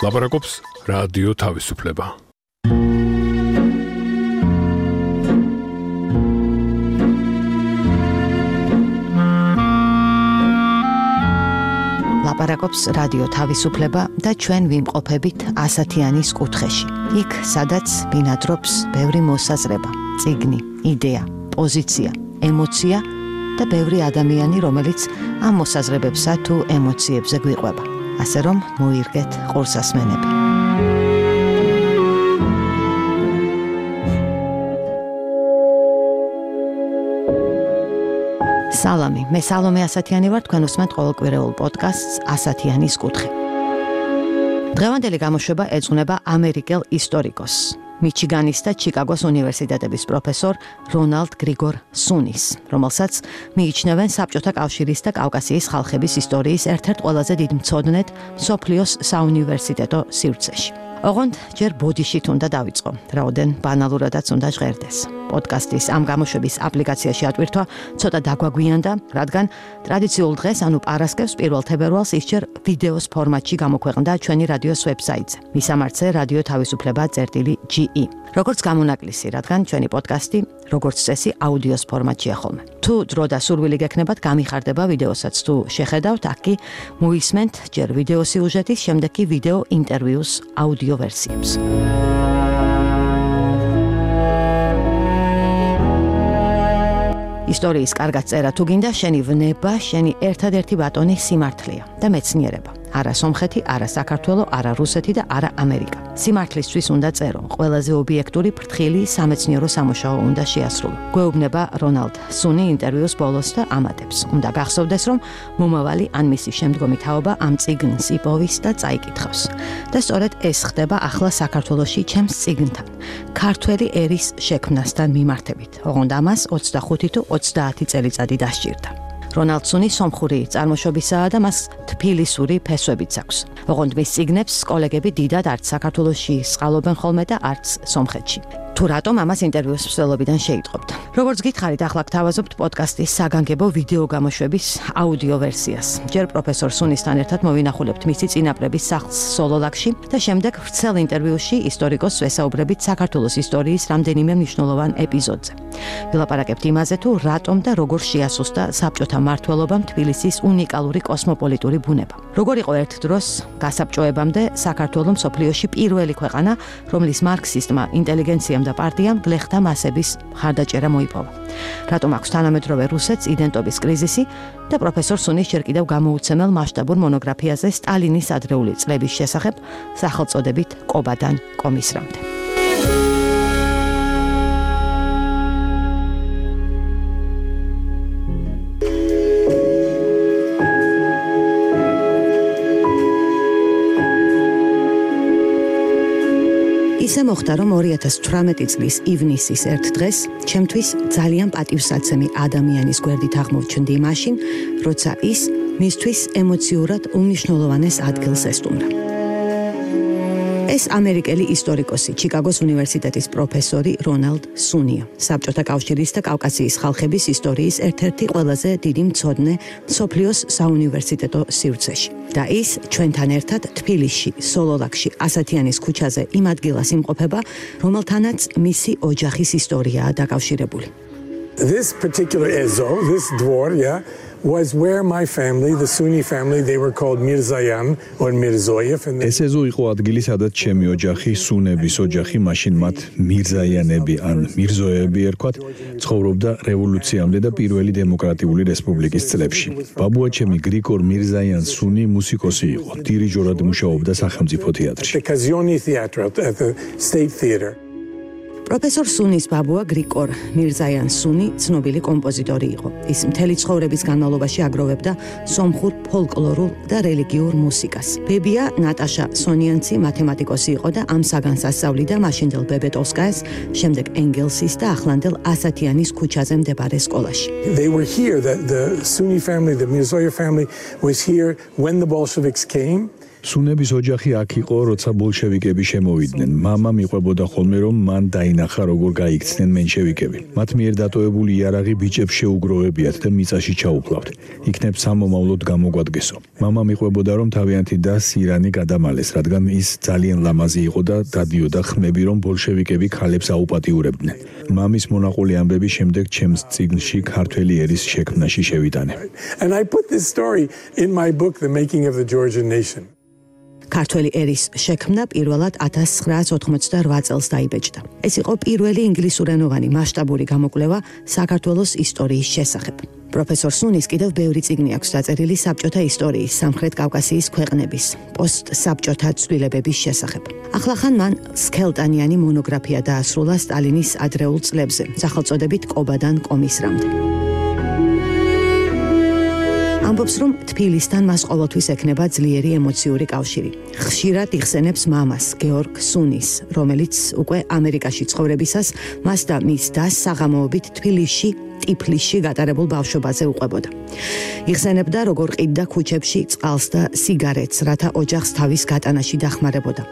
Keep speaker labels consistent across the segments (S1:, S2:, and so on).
S1: ლაპარაკობს რადიო თავისუფლება.
S2: ლაპარაკობს რადიო თავისუფლება და ჩვენ ვიმყოფებით ასათიანის კუთხეში. იქ, სადაც ბინადრობს ბევრი მოსაზრება, წიგნი, იდეა, პოზიცია, ემოცია და ბევრი ადამიანი, რომელიც ამ მოსაზრებებსა თუ ემოციებზე გვიყვება. ასე რომ მოირგეთ ყურსასმენები. სალამი, მე სალომე ასათიანი ვარ, თქვენ უსმენთ ყოველკვირეულ პოდკასტს ასათიანის კუთხე. დღევანდელი გამოშვება ეძღვნება ამერიკელ ისტორიკოსს, მიჩიგანის და ჩიკაგოს უნივერსიტეტების პროფესორ რონალდ გრიგორ სუნის, რომელსაც მიიჩნევენ საბჭოთა კავშირის და კავკასიის ხალხების ისტორიის ერთ-ერთ ყველაზე დიდ მცოდნედ მსოფლიოს საუნივერსიტეტო სივრცეში. ოღონდ ჯერ ბოდიშით უნდა დავიწყო, რაოდენ ბანალურადაც უნდა ჟღერდეს. პოდკასტის ამ გამოშვების აპლიკაციაში ატვირთვა ცოტა დაგვაგვიანდა, რადგან ტრადიციულ დღეს, ანუ პარასკევს 1 თებერვალს ისჯერ ვიდეოს ფორმატში გამოქვეყნდა ჩვენი რადიოს ვებსაიტზე. მისამართზე რადიო თავისუფლება წერტილი.ge. როგორც გამონაკლისი, რადგან ჩვენი პოდკასტი როგორც წესი აუდიოს ფორმატშია ხოლმე. თუ დრო და სურვილი გექნებათ, გამიხარდება ვიდეოსაც თუ შეხედავთ, აქ კი მოისმენთ ჯერ ვიდეო სიუჟეტის, შემდეგ კი ვიდეო ინტერვიუს აუდიო ვერსიებს. ისტორიის კარგად წერა თუ გინდა, შენი ვნება, შენი ერთადერთი ბატონი სიმართლეა და მეცნიერება. არა სომხეთი, არა საქართველო, არა რუსეთი და არა ამერიკა. სიმართლისთვის უნდა წერო, ყველაზე ობიექტური, ფრთხილი სამეცნიერო სამუშაო უნდა შეასრულო. გვეუბნება რონალდ სუნი ინტერვიუს ბოლოს და ამატებს. უნდა გახსოვდეს, რომ მომავალი ან მისი შემდგომი თაობა ამ წიგნს იპოვის და წაიკითხავს. და სწორედ ეს ხდება ახლა საქართველოში ჩემს წიგნთან, ქართველი ერის შექმნასთან მიმართებით. ოღონდ ამას 25 თუ 30 წელიწადი დასჭირდა. რონალდ სუნი სომხური წარმოშობისაა და მას თბილისური ფესვებიც აქვს. ოღონდ მის წიგნებს კოლეგები დიდად არც საქართველოში სყალობენ ხოლმე და არც სომხეთში. თუ რატომ ამას ინტერვიუს მსვლელობიდან შეიტყობთ. როგორც გითხარით, ახლა გთავაზობთ პოდკასტის საგანგებო ვიდეო გამოშვების აუდიო ვერსიას. ჯერ პროფესორ სუნისთან ერთად მოვინახულებთ მისი წინაპრების სახლს სოლოლაკში და შემდეგ ვრცელ ინტერვიუში ისტორიკოსს ვესაუბრებით საქართველოს ისტორიის რამდენიმე მნიშვნელოვან ეპიზოდზე. ვილაპარაკებთ იმაზე, თუ რატომ და როგორ შეასუსტა საბჭოთა მმართველობამ თბილისის უნიკალური კოსმოპოლიტური ბუნება. როგორ იყო ერთ დროს გასაბჭოებამდე საქართველოს მსოფლიოში პირველი ქვეყანა, რომლის მარქსისტმა ინტელიგენციამ და პარტიამ გლეხთა მასების მხარდაჭერა მოიპოვა. რატომ აქვს თანამედროვე რუსეთს იდენტობის კრიზისი და პროფესორ სუნის ჯერ კიდევ გამოუცემელ მასშტაბურ მონოგრაფიაზე სტალინის ადრეული წლების შესახებ სახელწოდებით კობადან კომისრამდე. ისე მოხდა, რომ 2018 წლის ივნისის ერთ დღეს ჩემთვის ძალიან პატივსაცემი ადამიანის გვერდით აღმოჩნდი მაშინ, როცა ის მისთვის ემოციურად უმნიშვნელოვანეს ადგილს ესტუმრა. ეს ამერიკელი ისტორიკოსი, ჩიკაგოს უნივერსიტეტის პროფესორი რონალდ სუნია, საბჭოთა კავშირის და კავკასიის ხალხების ისტორიის ერთ-ერთი ყველაზე დიდი მცოდნე მსოფლიოს საუნივერსიტეტო სივრცეში. და ის ჩვენთან ერთად თბილისში, სოლოლაკში, ასათიანის ქუჩაზე იმ ადგილას იმყოფება, რომელთანაც მისი ოჯახის ისტორიაა დაკავშირებული.
S3: This particular ezo, this dvor, was where my family, the Sunni family, they were called Mirzayan or Mirzoyev.
S4: ეს ეზო იყო ადგილი, სადაც ჩემი ოჯახი, სუნების ოჯახი, მაშინ მათ მირზაიანები ან მირზოეები ერქვათ, ცხოვრობდა რევოლუციამდე და პირველი დემოკრატიული რესპუბლიკის წლებში. ბაბუა ჩემი გრიგორ მირზაიან სუნი მუსიკოსი იყო, დირიჟორად მუშაობდა სახელმწიფო თეატრში.
S3: The Kazioni Theatre at the State Theatre.
S2: პროფესორ სუნის ბაბუა გრიგორ მირზაიან სუნი ცნობილი კომპოზიტორი იყო. ის მთელი ცხოვრების განმავლობაში აგროვებდა სომხურ ფოლკლორულ და რელიგიურ მუსიკას. ბებია ნატაშა სონიანცი მათემატიკოსი იყო და ამ საგანს ასწავლიდა მაშინდელ ბებეტოვსკაეს, შემდეგ ენგელსის და ახლანდელ ასათიანის ქუჩაზე მდებარე სკოლაში.
S3: They were here, the Sunni family, the Mirzoyev family was here when the Bolsheviks came.
S4: სუნების ოჯახი აქ იყო, როცა ბოლშევიკები შემოვიდნენ. მამა მიყვებოდა ხოლმე, რომ მან დაინახა, როგორ გაიქცნენ მენშევიკები. მათ მიერ დატოვებული იარაღი ბიჭებს შეუგროვებიათ და მიწაში ჩაუფლავთ. იქნებ სამომავლოდ გამოგვადგესო. მამა მიყვებოდა, რომ თავიანთი და სირანი გადამალეს, რადგან ის ძალიან ლამაზი იყო და დადიოდა ხმები, რომ ბოლშევიკები ქალებს აუპატიურებდნენ. მამის მონაყოლი ამბების შემდეგ ჩემს წიგნში ქართველი ერის შექმნაში შევიტანე.
S3: And I put this story in my book, The Making of the Georgian Nation.
S2: ქართველი ერის შექმნა პირველად 1988 წელს დაიბეჭდა. ეს იყო პირველი ინგლისურენოვანი მასშტაბური გამოკვლევა საქართველოს ისტორიის შესახებ. პროფესორ სუნის კიდევ ბევრი წიგნი აქვს დაწერილი საბჭოთა ისტორიის, სამხრეთ კავკასიის ქვეყნების, პოსტსაბჭოთა ცვლილებების შესახებ. ახლახან მან სქელტანიანი მონოგრაფია დაასრულა სტალინის ადრეულ წლებზე, სახელწოდებით „კობადან კომისრამდე“. ამბობს, რომ თბილისთან მას ყოველთვის ექნება ძლიერი ემოციური კავშირი. ხშირად იხსენებს მამას, გეორგ სუნის, რომელიც უკვე ამერიკაში ცხოვრებისას მას და მის დას საღამოობით თბილისში, ტიფლისში გატარებულ ბავშვობაზე უყვებოდა. იხსენებდა, როგორ ყიდდა ქუჩებში წყალს და სიგარეტს, რათა ოჯახს თავის გატანაში დახმარებოდა.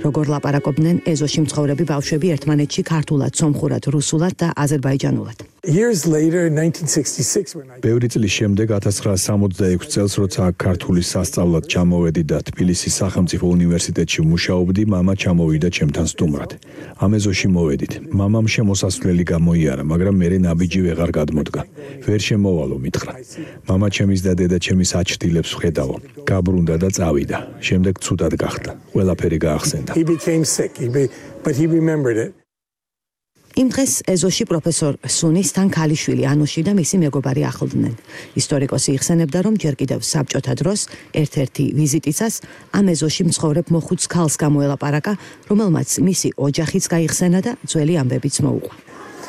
S2: როგორ ლაპარაკობდნენ ეზოში მცხოვრები ბავშვები ერთმანეთში ქართულად, სომხურად, რუსულად და აზერბაიჯანულად.
S3: Years later, in 1966, when I
S4: ბევრი წლის შემდეგ 1966 წელს, როცა აქ ქართულის სასწავლად ჩამოვედი და თბილისის სახელმწიფო უნივერსიტეტში მუშაობდი, მამა ჩამოვიდა ჩემთან სტუმრად. ამ ეზოში მოვედით. მამამ შემოსასვლელი გამოიარა, მაგრამ მე ნაბიჯი ვეღარ გადმოდგა. ვერ შემოვალო, მითხრა. მამა ჩემის და დედა ჩემის აჩრდილებს ვხედავო. გაბრუნდა და წავიდა. შემდეგ ცუდად გახდა. ყველაფერი გაახსენდა.
S3: he became sick, but he remembered it.
S2: იმ დღეს ეზოში პროფესორ სუნის თან ქალიშვილი ანუში და მისი მეგობარი ახლდნენ. ისტორიკოსი იხსენებდა, რომ ჯერ კიდევ საბჭოთა დროს ერთ-ერთი ვიზიტისას ამ ეზოში მცხოვრებ მოხუც ქალს გამოელაპარაკა, რომელმაც მისი ოჯახიც გაიხსენა და ძველი ამბებიც მოუყვა.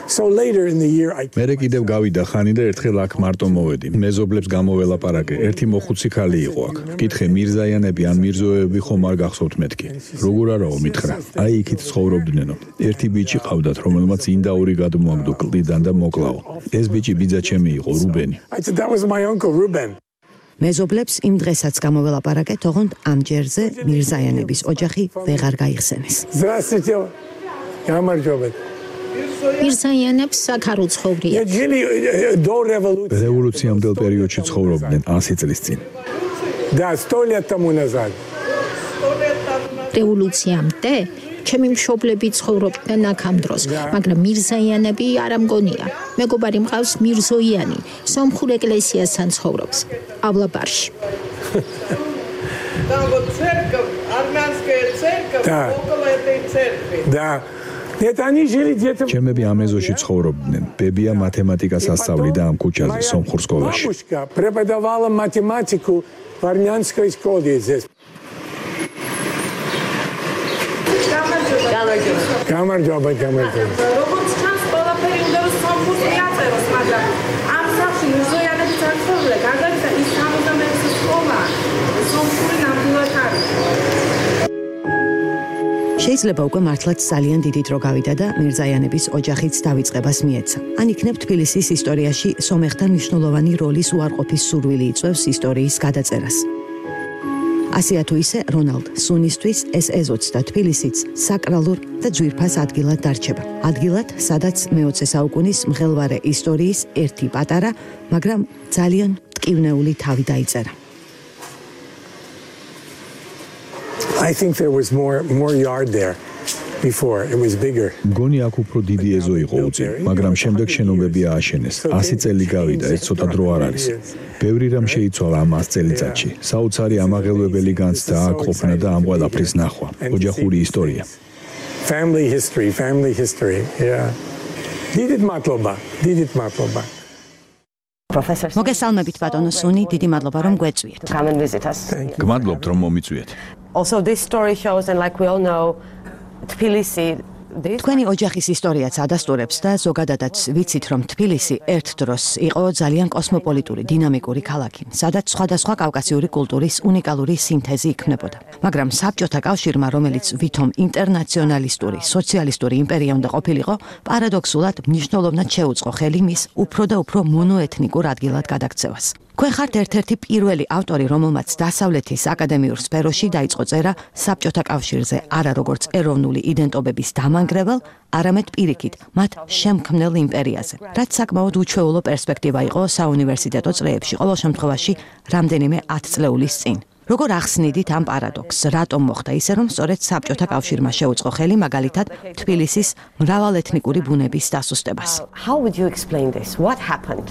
S3: So later in the year,
S4: მერე კიდევ გავიდა ხანი და ერთხელ აქ მარტო მოვედი. მეზობლებს გამოველაპარაკე. ერთი მოხუცი ქალი იყო აქ. ვკითხე, მირზაიანები ან მირზოეები ხომ არ გახსოვთ მეთქი? როგორ არაო, მითხრა. აი იქით ცხოვრობდნენო. ერთი ბიჭი ყავდათ, რომელმაც ინდაური გადმოაგდო კლდიდან და მოკლაო. ეს ბიჭი ბიძა ჩემი იყო, რუბენი.
S3: I said, that was my uncle Ruben.
S2: მეზობლებს იმ დღესაც გამოველაპარაკე, თողონდ ამ ჯერზე მირზაიანების ოჯახი ვეღარ გაიხსენეს.
S3: Здравствуйте. გამარჯობეთ.
S5: მირზაიანებს აქ არ უცხოვრია.
S3: Жили до революции.
S4: რევოლუციამდელ პერიოდში ცხოვრობდნენ 100 წლის წინ.
S3: Да, 100 лет тому назад.
S5: რევოლუციამდე ჩემი მშობლები ცხოვრობდნენ აქ ამ დროს, მაგრამ მირზაიანები არ ამგონია. მეგობარი მყავს მირზოიანი, სომხურ ეკლესიასთან ცხოვრობს, ავლაბარში.
S3: Да. Нет, они жили где-то.
S4: ჩემები ამ ეზოში ცხოვრობდნენ. ბებია მათემატიკას ასწავლიდა ამ ქუჩაზე, სომხურ სკოლაში.
S3: Бабушка преподавала математику в армянской школе здесь. გამარჯობა.
S6: როგორც ჩანს, ყველაფერი უნდა რომ სომხურს მიაწეროს, მაგრამ ამ სახში მირზოიანები წარმოდგა, მაგალითად ის 71 სკოლა სომხური ნამდვილად არის.
S2: შეიძლება უკვე მართლაც ძალიან დიდი დრო გავიდა და მირზაიანების ოჯახიც დავიწყებას მიეცა. ან იქნებ თბილისის ისტორიაში სომეხთან მნიშვნელოვანი როლის უარყოფის სურვილი იწვევს ისტორიის გადაწერას. ასეა თუ ისე, რონალდ სუნისთვის ეს ეზოც და თბილისიც საკრალურ და ძვირფას ადგილად დარჩება. ადგილად, სადაც მე-20 საუკუნის მღელვარე ისტორიის ერთი პატარა, მაგრამ ძალიან მტკივნეული თავი დაიწერა.
S3: I think there was more yard there before. It was bigger.
S4: მგონი აქ უფრო დიდი ეზო იყო უწინ, მაგრამ შემდეგ შენობები ააშენეს. 100 წელი გავიდა, ეს ცოტა დრო არ არის. ბევრი რამ შეიცვალა ამ 100 წელიწადში. საოცარი ამაღელვებელი განცდა აქ ყოფნა და ამ ყველაფრის ნახვა. ოჯახური ისტორია.
S3: Family history. Yeah. Didit matloba.
S2: მოგესალმებით ბატონო სუნი, დიდი მადლობა რომ გვეწვიეთ.
S7: Come and visit us.
S4: გმადლობთ რომ მომიწვიეთ.
S7: Also, this story shows, and like we all know, Tbilisi.
S2: თქვენი ოჯახის ისტორიაც ადასტურებს და ზოგადადაც ვიცით, რომ თბილისი ერთ დროს იყო ძალიან კოსმოპოლიტური, დინამიკური ქალაქი, სადაც სხვადასხვა კავკასიური კულტურის უნიკალური სინთეზი იქმნებოდა. მაგრამ საბჭოთა კავშირმა, რომელიც ვითომ ინტერნაციონალისტური, სოციალისტური იმპერია უნდა ყოფილიყო, პარადოქსულად მნიშვნელოვნად შეუწყო ხელი მის უფრო და უფრო მონოეთნიკურ ადგილად გადაქცევას. თქვენ ხართ ერთ-ერთი პირველი ავტორი, რომელმაც დასავლეთის აკადემიურ სფეროში დაიწყო წერა საბჭოთა კავშირზე, არა როგორც ეროვნული იდენტობების დამანგრეველ, არამედ პირიქით, მათ შემქმნელ იმპერიაზე. რაც საკმაოდ უჩვეულო პერსპექტივა იყო საუნივერსიტეტო წრეებში, ყოველ შემთხვევაში რამდენიმე 10 წლეულის წინ. როგორ ახსნიდით ამ პარადოქსს, რატომ მოხდა ისე, რომ სწორედ საბჭოთა კავშირმა შეუწყო ხელი მაგალითად თბილისის მრავალეთნიკური ბუნების დასუსტებას?
S7: How would you explain this? What happened?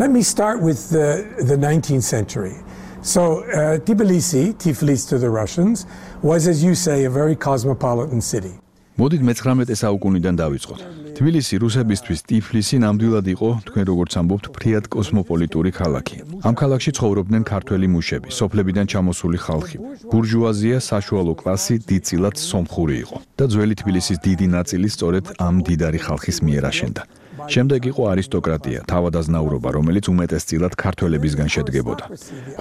S3: Let me start with the 19th century. So Tiflis to the Russians was, as you say, a very cosmopolitan city.
S4: მოდით მე-19 საუკუნიდან დავიწყოთ. თბილისი რუსებისთვის ტიფლისი ნამდვილად იყო, თქვენ როგორც ამბობთ, ფრიად კოსმოპოლიტური ქალაქი. ამ ქალაქში ცხოვრობდნენ ქართველი მუშები, სოფლებიდან ჩამოსული ხალხი. ბურჟუაზია, საშუალო კლასი, დიდწილად სომხური იყო და ძველი თბილისის დიდი ნაწილი სწორედ ამ დიდარი ხალხის მიერ აშენდა. შემდეგ იყო არისტოკრატია, თავადაზნაურობა, რომელიც უმეტესწილად ქართველებისგან შედგებოდა.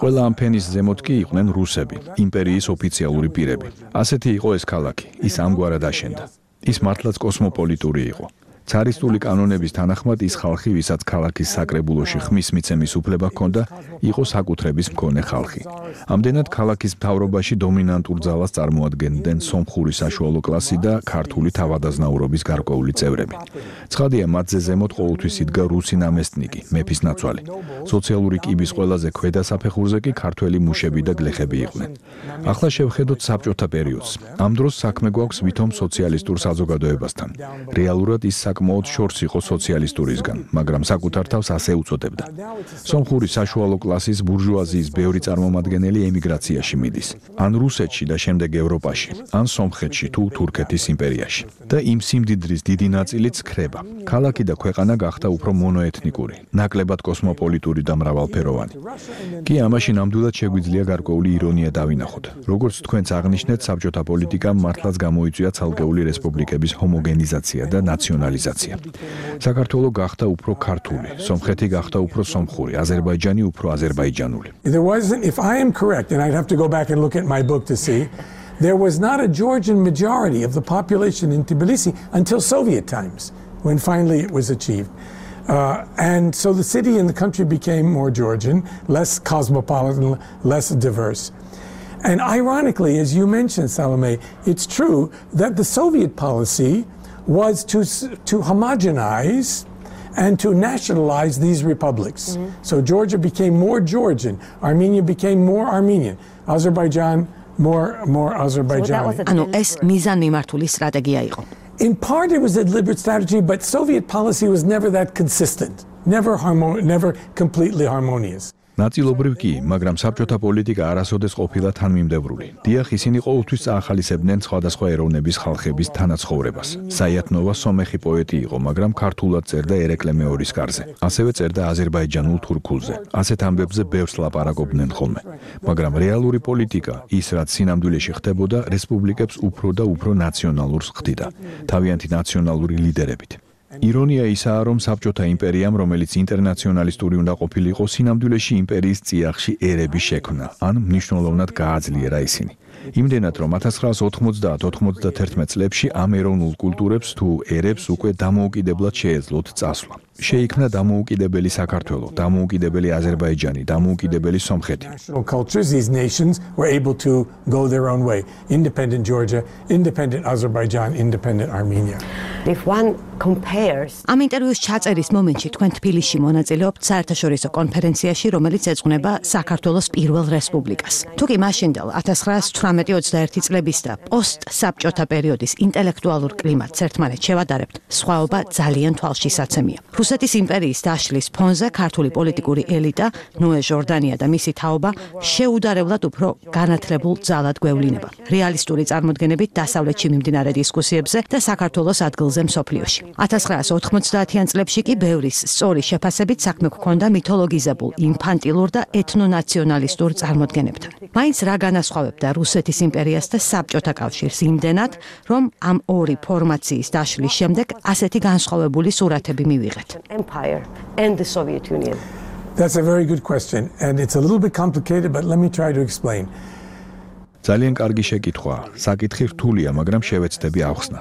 S4: ყველა ამ ფენის ზემოთ კი იყვნენ რუსები, იმპერიის ოფიციალური პირები. ასეთი იყო ეს ქალაქი, ის ამგვარად აშენდა. ის მართლაც კოსმოპოლიტური იყო. цаრისტული კანონების თანახმად ის ხალხი, ვისაც ქალაქის საკრებულოში ხმის მიცემის უფლება ჰქონდა, იყო საკუთრების მქონე ხალხი. ამდენად ქალაქის მთავრობაში დომინანტურ ძალას წარმოადგენდნენ სომხური საშუალო კლასი და ქართული თავადაზნაურობის გარკვეული წევრები. ცხადია, მათზე ზემოთ ყოველთვის იდგა რუსი ნამესტნიკი, მეფის ნაცვალი. სოციალური კიბის ყველაზე ქვედა საფეხურზე კი ქართველი მუშები და გლეხები იყვნენ. ახლა შევხედოთ საბჭოთა პერიოდს. ამ დროს საქმე გვაქვს ვითომ სოციალისტურ საზოგადოებასთან. რეალურად ის საკმაოდ შორს იყო სოციალისტურისგან, მაგრამ საკუთარ თავს ასე უწოდებდა. სომხური საშუალო კლასის ბურჟუაზიის ბევრი წარმომადგენელი ემიგრაციაში მიდის, ან რუსეთში და შემდეგ ევროპაში, ან სომხეთში თუ თურქეთის იმპერიაში. და იმ სიმდიდრის დიდი ნაწილიც ხრება. ქალაქი და ქვეყანა გახდა უფრო მონოეთნიკური, ნაკლებად კოსმოპოლიტური და მრავალფეროვანი. კი ამაში ნამდვილად შეგვიძლია გარკვეული ირონია დავინახოთ. როგორც თქვენც აღნიშნეთ, საბჭოთა პოლიტიკამ მართლაც გამოიწვია ცალკეული რესპუბლიკების ჰომოგენიზაცია და ნაციონალიზაცია. საქართველო გახდა უფრო ქართული, სომხეთი გახდა უფრო სომხური, აზერბაიჯანი უფრო აზერბაიჯანული.
S3: There wasn't, if I am correct, and I'd have to go back and look at my book to see, there was not a Georgian majority of the population in Tbilisi until Soviet times, when finally it was achieved. And so the city and the country became more Georgian, less cosmopolitan, less diverse. And ironically, as you mentioned, Salome, it's true that the Soviet policy was to homogenize and to nationalize these republics. So Georgia became more Georgian, Armenia became more Armenian, Azerbaijan more Azerbaijani.
S2: ანუ ეს მიზანმიმართული სტრატეგია იყო.
S3: In part it was a deliberate strategy, but Soviet policy was never that consistent, never completely harmonious.
S4: ნაწილობრივ კი, მაგრამ საბჭოთა პოლიტიკა არასოდეს ყოფილა თანმიმდევრული. დიახ, ისინი ყოველთვის წაახალისებდნენ სხვადასხვა ეროვნების ხალხების თანაცხოვრებას. საიათნოვა სომეხი პოეტი იყო, მაგრამ ქართულად წერდა ერეკლე მეორის კარზე. ასევე წერდა აზერბაიჯანულ თურქულზე. ასეთ ამბებზე ბევრს ლაპარაკობდნენ ხოლმე. მაგრამ რეალური პოლიტიკა, ის რაც სინამდვილეში ხდებოდა, რესპუბლიკებს უფრო და უფრო ნაციონალურს ხდიდა, თავიანთი ნაციონალური ლიდერებით. ირონია ისაა, რომ საბჭოთა იმპერიამ, რომელიც ინტერნაციონალისტური უნდა ყოფილიყო, სინამდვილეში იმპერიის წიაღში ერები შექმნა, ან მნიშვნელოვნად გააძლიერა ისინი. იმდენად, რომ 1990-91 წლებში ამ ეროვნულ კულტურებს თუ ერებს უკვე დამოუკიდებლად შეეძლოთ წასვლა. შეიქმნა დამოუკიდებელი საქართველო, დამოუკიდებელი აზერბაიჯანი, დამოუკიდებელი სომხეთი.
S3: National cultures, these nations were able to go their own way. Independent Georgia, independent Azerbaijan, independent Armenia.
S7: If one compares
S2: ამ ინტერვიუს ჩაწერის მომენტში თქვენ თბილისში მონაწილეობთ საერთაშორისო კონფერენციაში, რომელიც ეძღვნება საქართველოს პირველ რესპუბლიკას. თუ კი მაშინდელ 1918-21 წლების და პოსტსაბჭოთა პერიოდის ინტელექტუალურ კლიმატს ერთმანეთს შევადარებთ, სხვაობა ძალიან თვალშისაცემია. რუსეთის იმპერიის დაშლის ფონზე ქართული პოლიტიკური ელიტა, ნოე ჟორდანია და მისი თაობა შეუდარებლად უფრო განათლებულ ძალად გვევლინება. რეალისტური წარმოდგენებით დასავლეთში მიმდინარე დისკუსიებზე და საქართველოს ადგილზე მსოფლიოში. 1990-იან წლებში კი ბევრის სწორი შეფასებით საქმე ჰქონდა მითოლოგიზებულ, ინფანტილურ და ეთნონაციონალისტურ წარმოდგენებთან. მაინც რა განასხვავებდა რუსეთის იმპერიას და საბჭოთა კავშირს იმდენად, რომ ამ ორი ფორმაციის დაშლის შემდეგ ასეთი განსხვავებული სურათები მივიღეთ.
S7: Empire and the Soviet Union.
S3: That's a very good question, and it's a little bit complicated, but let me try to explain.
S4: ძალიან კარგი შეკითხვაა. საკითხი რთულია, მაგრამ შევეცდები ავხსნა.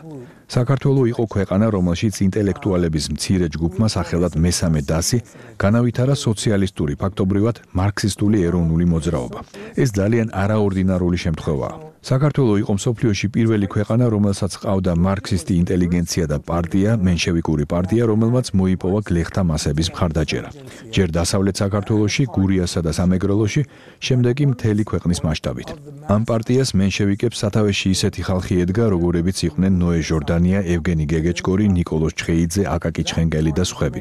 S4: საქართველო იყო ქვეყანა, რომელშიც ინტელექტუალების მცირე ჯგუფმა სახელად მესამე დასი განავითარა სოციალისტური, ფაქტობრივად მარქსისტული ეროვნული მოძრაობა. ეს ძალიან არაორდინარული შემთხვევაა. საქართველო იყო მსოფლიოში პირველი ქვეყანა, რომელსაც ყავდა მარქსისტი ინტელიგენცია და პარტია, მენშევიკური პარტია, რომელმაც მოიპოვა გლეხთა მასების მხარდაჭერა. ჯერ დასავლეთ საქართველოში, გურიასა და სამეგრელოში, შემდეგ კი მთელი ქვეყნის მასშტაბით. ამ პარტიას მენშევიკებს სათავეში ისეთი ხალხი ედგა, როგორებიც იყვნენ ნოე ჟორდანია, ევგენი გეგეჭკორი, ნიკოლოზ ჩხეიძე, აკაკი ჩხენგელი და სხვები.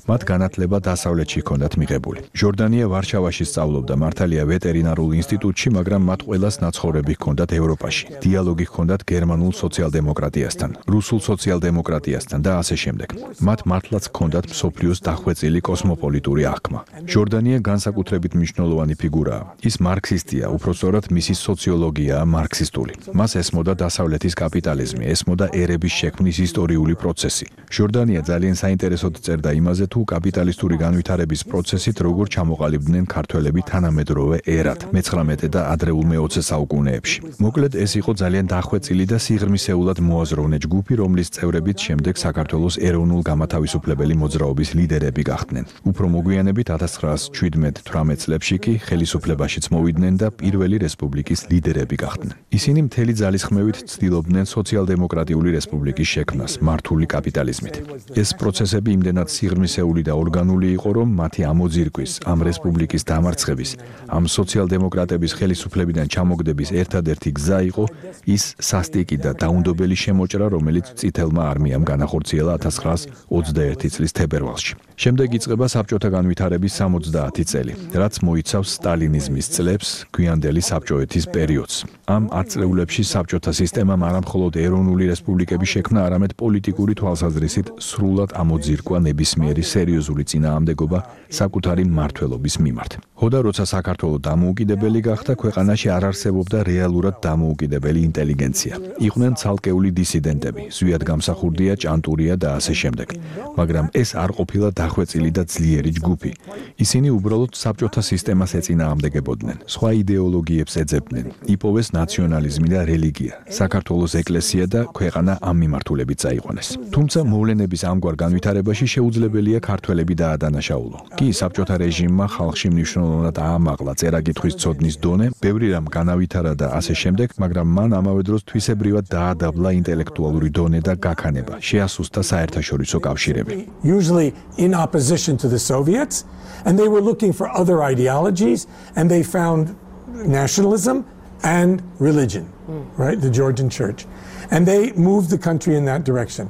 S4: მათ განათლება დასავლეთში ჰქონდათ მიღებული. ჟორდანია ვარშავაში სწავლობდა, მართალია ვეტერინარულ ინსტიტუტში, მაგრამ მათ ყველას ნაცხოვრები ჰქონდათ ევროპაში. დიალოგი ჰქონდათ გერმანულ სოციალ-დემოკრატიასთან, რუსულ სოციალ-დემოკრატიასთან და ასე შემდეგ. მათ მართლაც ჰქონდათ მსოფლიოს დახვეწილი კოსმოპოლიტური აღქმა. ჟორდანია განსაკუთრებით მნიშვნელოვანი ფიგურაა. ის მარქსისტია, უпростоრად მისი სოციოლოგიაა მარქსისტული. მას ესმოდა დასავლეთის კაპიტალიზმი, ესმოდა ერების შექმნის ისტორიული პროცესი. ჟორდანია ძალიან საინტერესოდ წერდა იმაზე, თუ კაპიტალისტური განვითარების პროცესით როგორ ჩამოყალიბდნენ ქართველები თანამედროვე ერად, მე-19 და ადრეულ მე-20 საუკუნეებში. მოკლედ ეს იყო ძალიან დახვეწილი და სიღრმისეულად მოაზროვნე ჯგუფი, რომლის წევრებიც შემდეგ საქართველოს ეროვნულ-გამათავისუფლებელი მოძრაობის ლიდერები გახდნენ. უფრო მოგვიანებით 1917-18 წლებში კი ხელისუფლებაშიც მოვიდნენ და პირველი რესპუბლიკის ლიდერები გახდნენ. ისინი მთელი ძალისხმევით ცდილობდნენ სოციალ-დემოკრატიული რესპუბლიკის შექმნას, მართული კაპიტალიზმით. ეს პროცესები იმდენად სიღრმისეული და ორგანული იყო, რომ მათი ამოძირკვის, ამ რესპუბლიკის დამარცხების, ამ სოციალ-დემოკრატების ხელისუფლებიდან ჩამოგდების ერთადერთი გზა იყო ის სასტიკი და დაუნდობელი შემოჭრა, რომელიც წითელმა არმიამ განახორციელა 1921 წლის თებერვალში. შემდეგ იწყება საბჭოთა განვითარების 70 წელი, რაც მოიცავს სტალინიზმის წლებს, გვიანდელი საბჭოეთის პერიოდს. ამ 10 წლებში საბჭოთა სისტემამ არამხოლოდ ეროვნული რესპუბლიკების შექმნა, არამედ პოლიტიკური თვალსაზრისით სრულად ამოძირკვა ნებისმიერი სერიოზული წინააღმდეგობა საკუთარი მმართველობის მიმართ. ხოდა როცა საქართველო დამოუკიდებელი გახდა, ქვეყანაში არ არსებობდა რეალურად დამოუკიდებელი ინტელიგენცია. იყვნენ ცალკეული დისიდენტები, ზვიად გამსახურდია, ჭანტურია და ასე შემდეგ. მაგრამ ეს არ ყოფილა დახვეწილი და ძლიერი ჯგუფი. ისინი უბრალოდ საბჭოთა სისტემას ეწინააღმდეგებოდნენ, სხვა იდეოლოგიებს ეძებდნენ, იპოვეს ნაციონალიზმი და რელიგია, საქართველოს ეკლესია და ქვეყანა ამ მიმართულებით წაიყვანეს. თუმცა მოვლენების ამგვარ განვითარებაში შეუძლებელია ქართველები დაადანაშაულო. კი საბჭოთა რეჟიმმა ხალხში მნიშვნელოვნად აამაღლა წერა-კითხვის ცოდნის დონე, ბევრი რამ განავითარა და ასე შემდეგ, მაგრამ მან ამავე დროს თვისებრივად დაადაბლა ინტელექტუალური დონე და გაქანება, შეასუსტა საერთაშორისო კავშირები.
S3: Usually in opposition to the Soviets, and they were looking for other ideologies, and they found nationalism and religion, right? The Georgian Church. And they moved the country in that direction.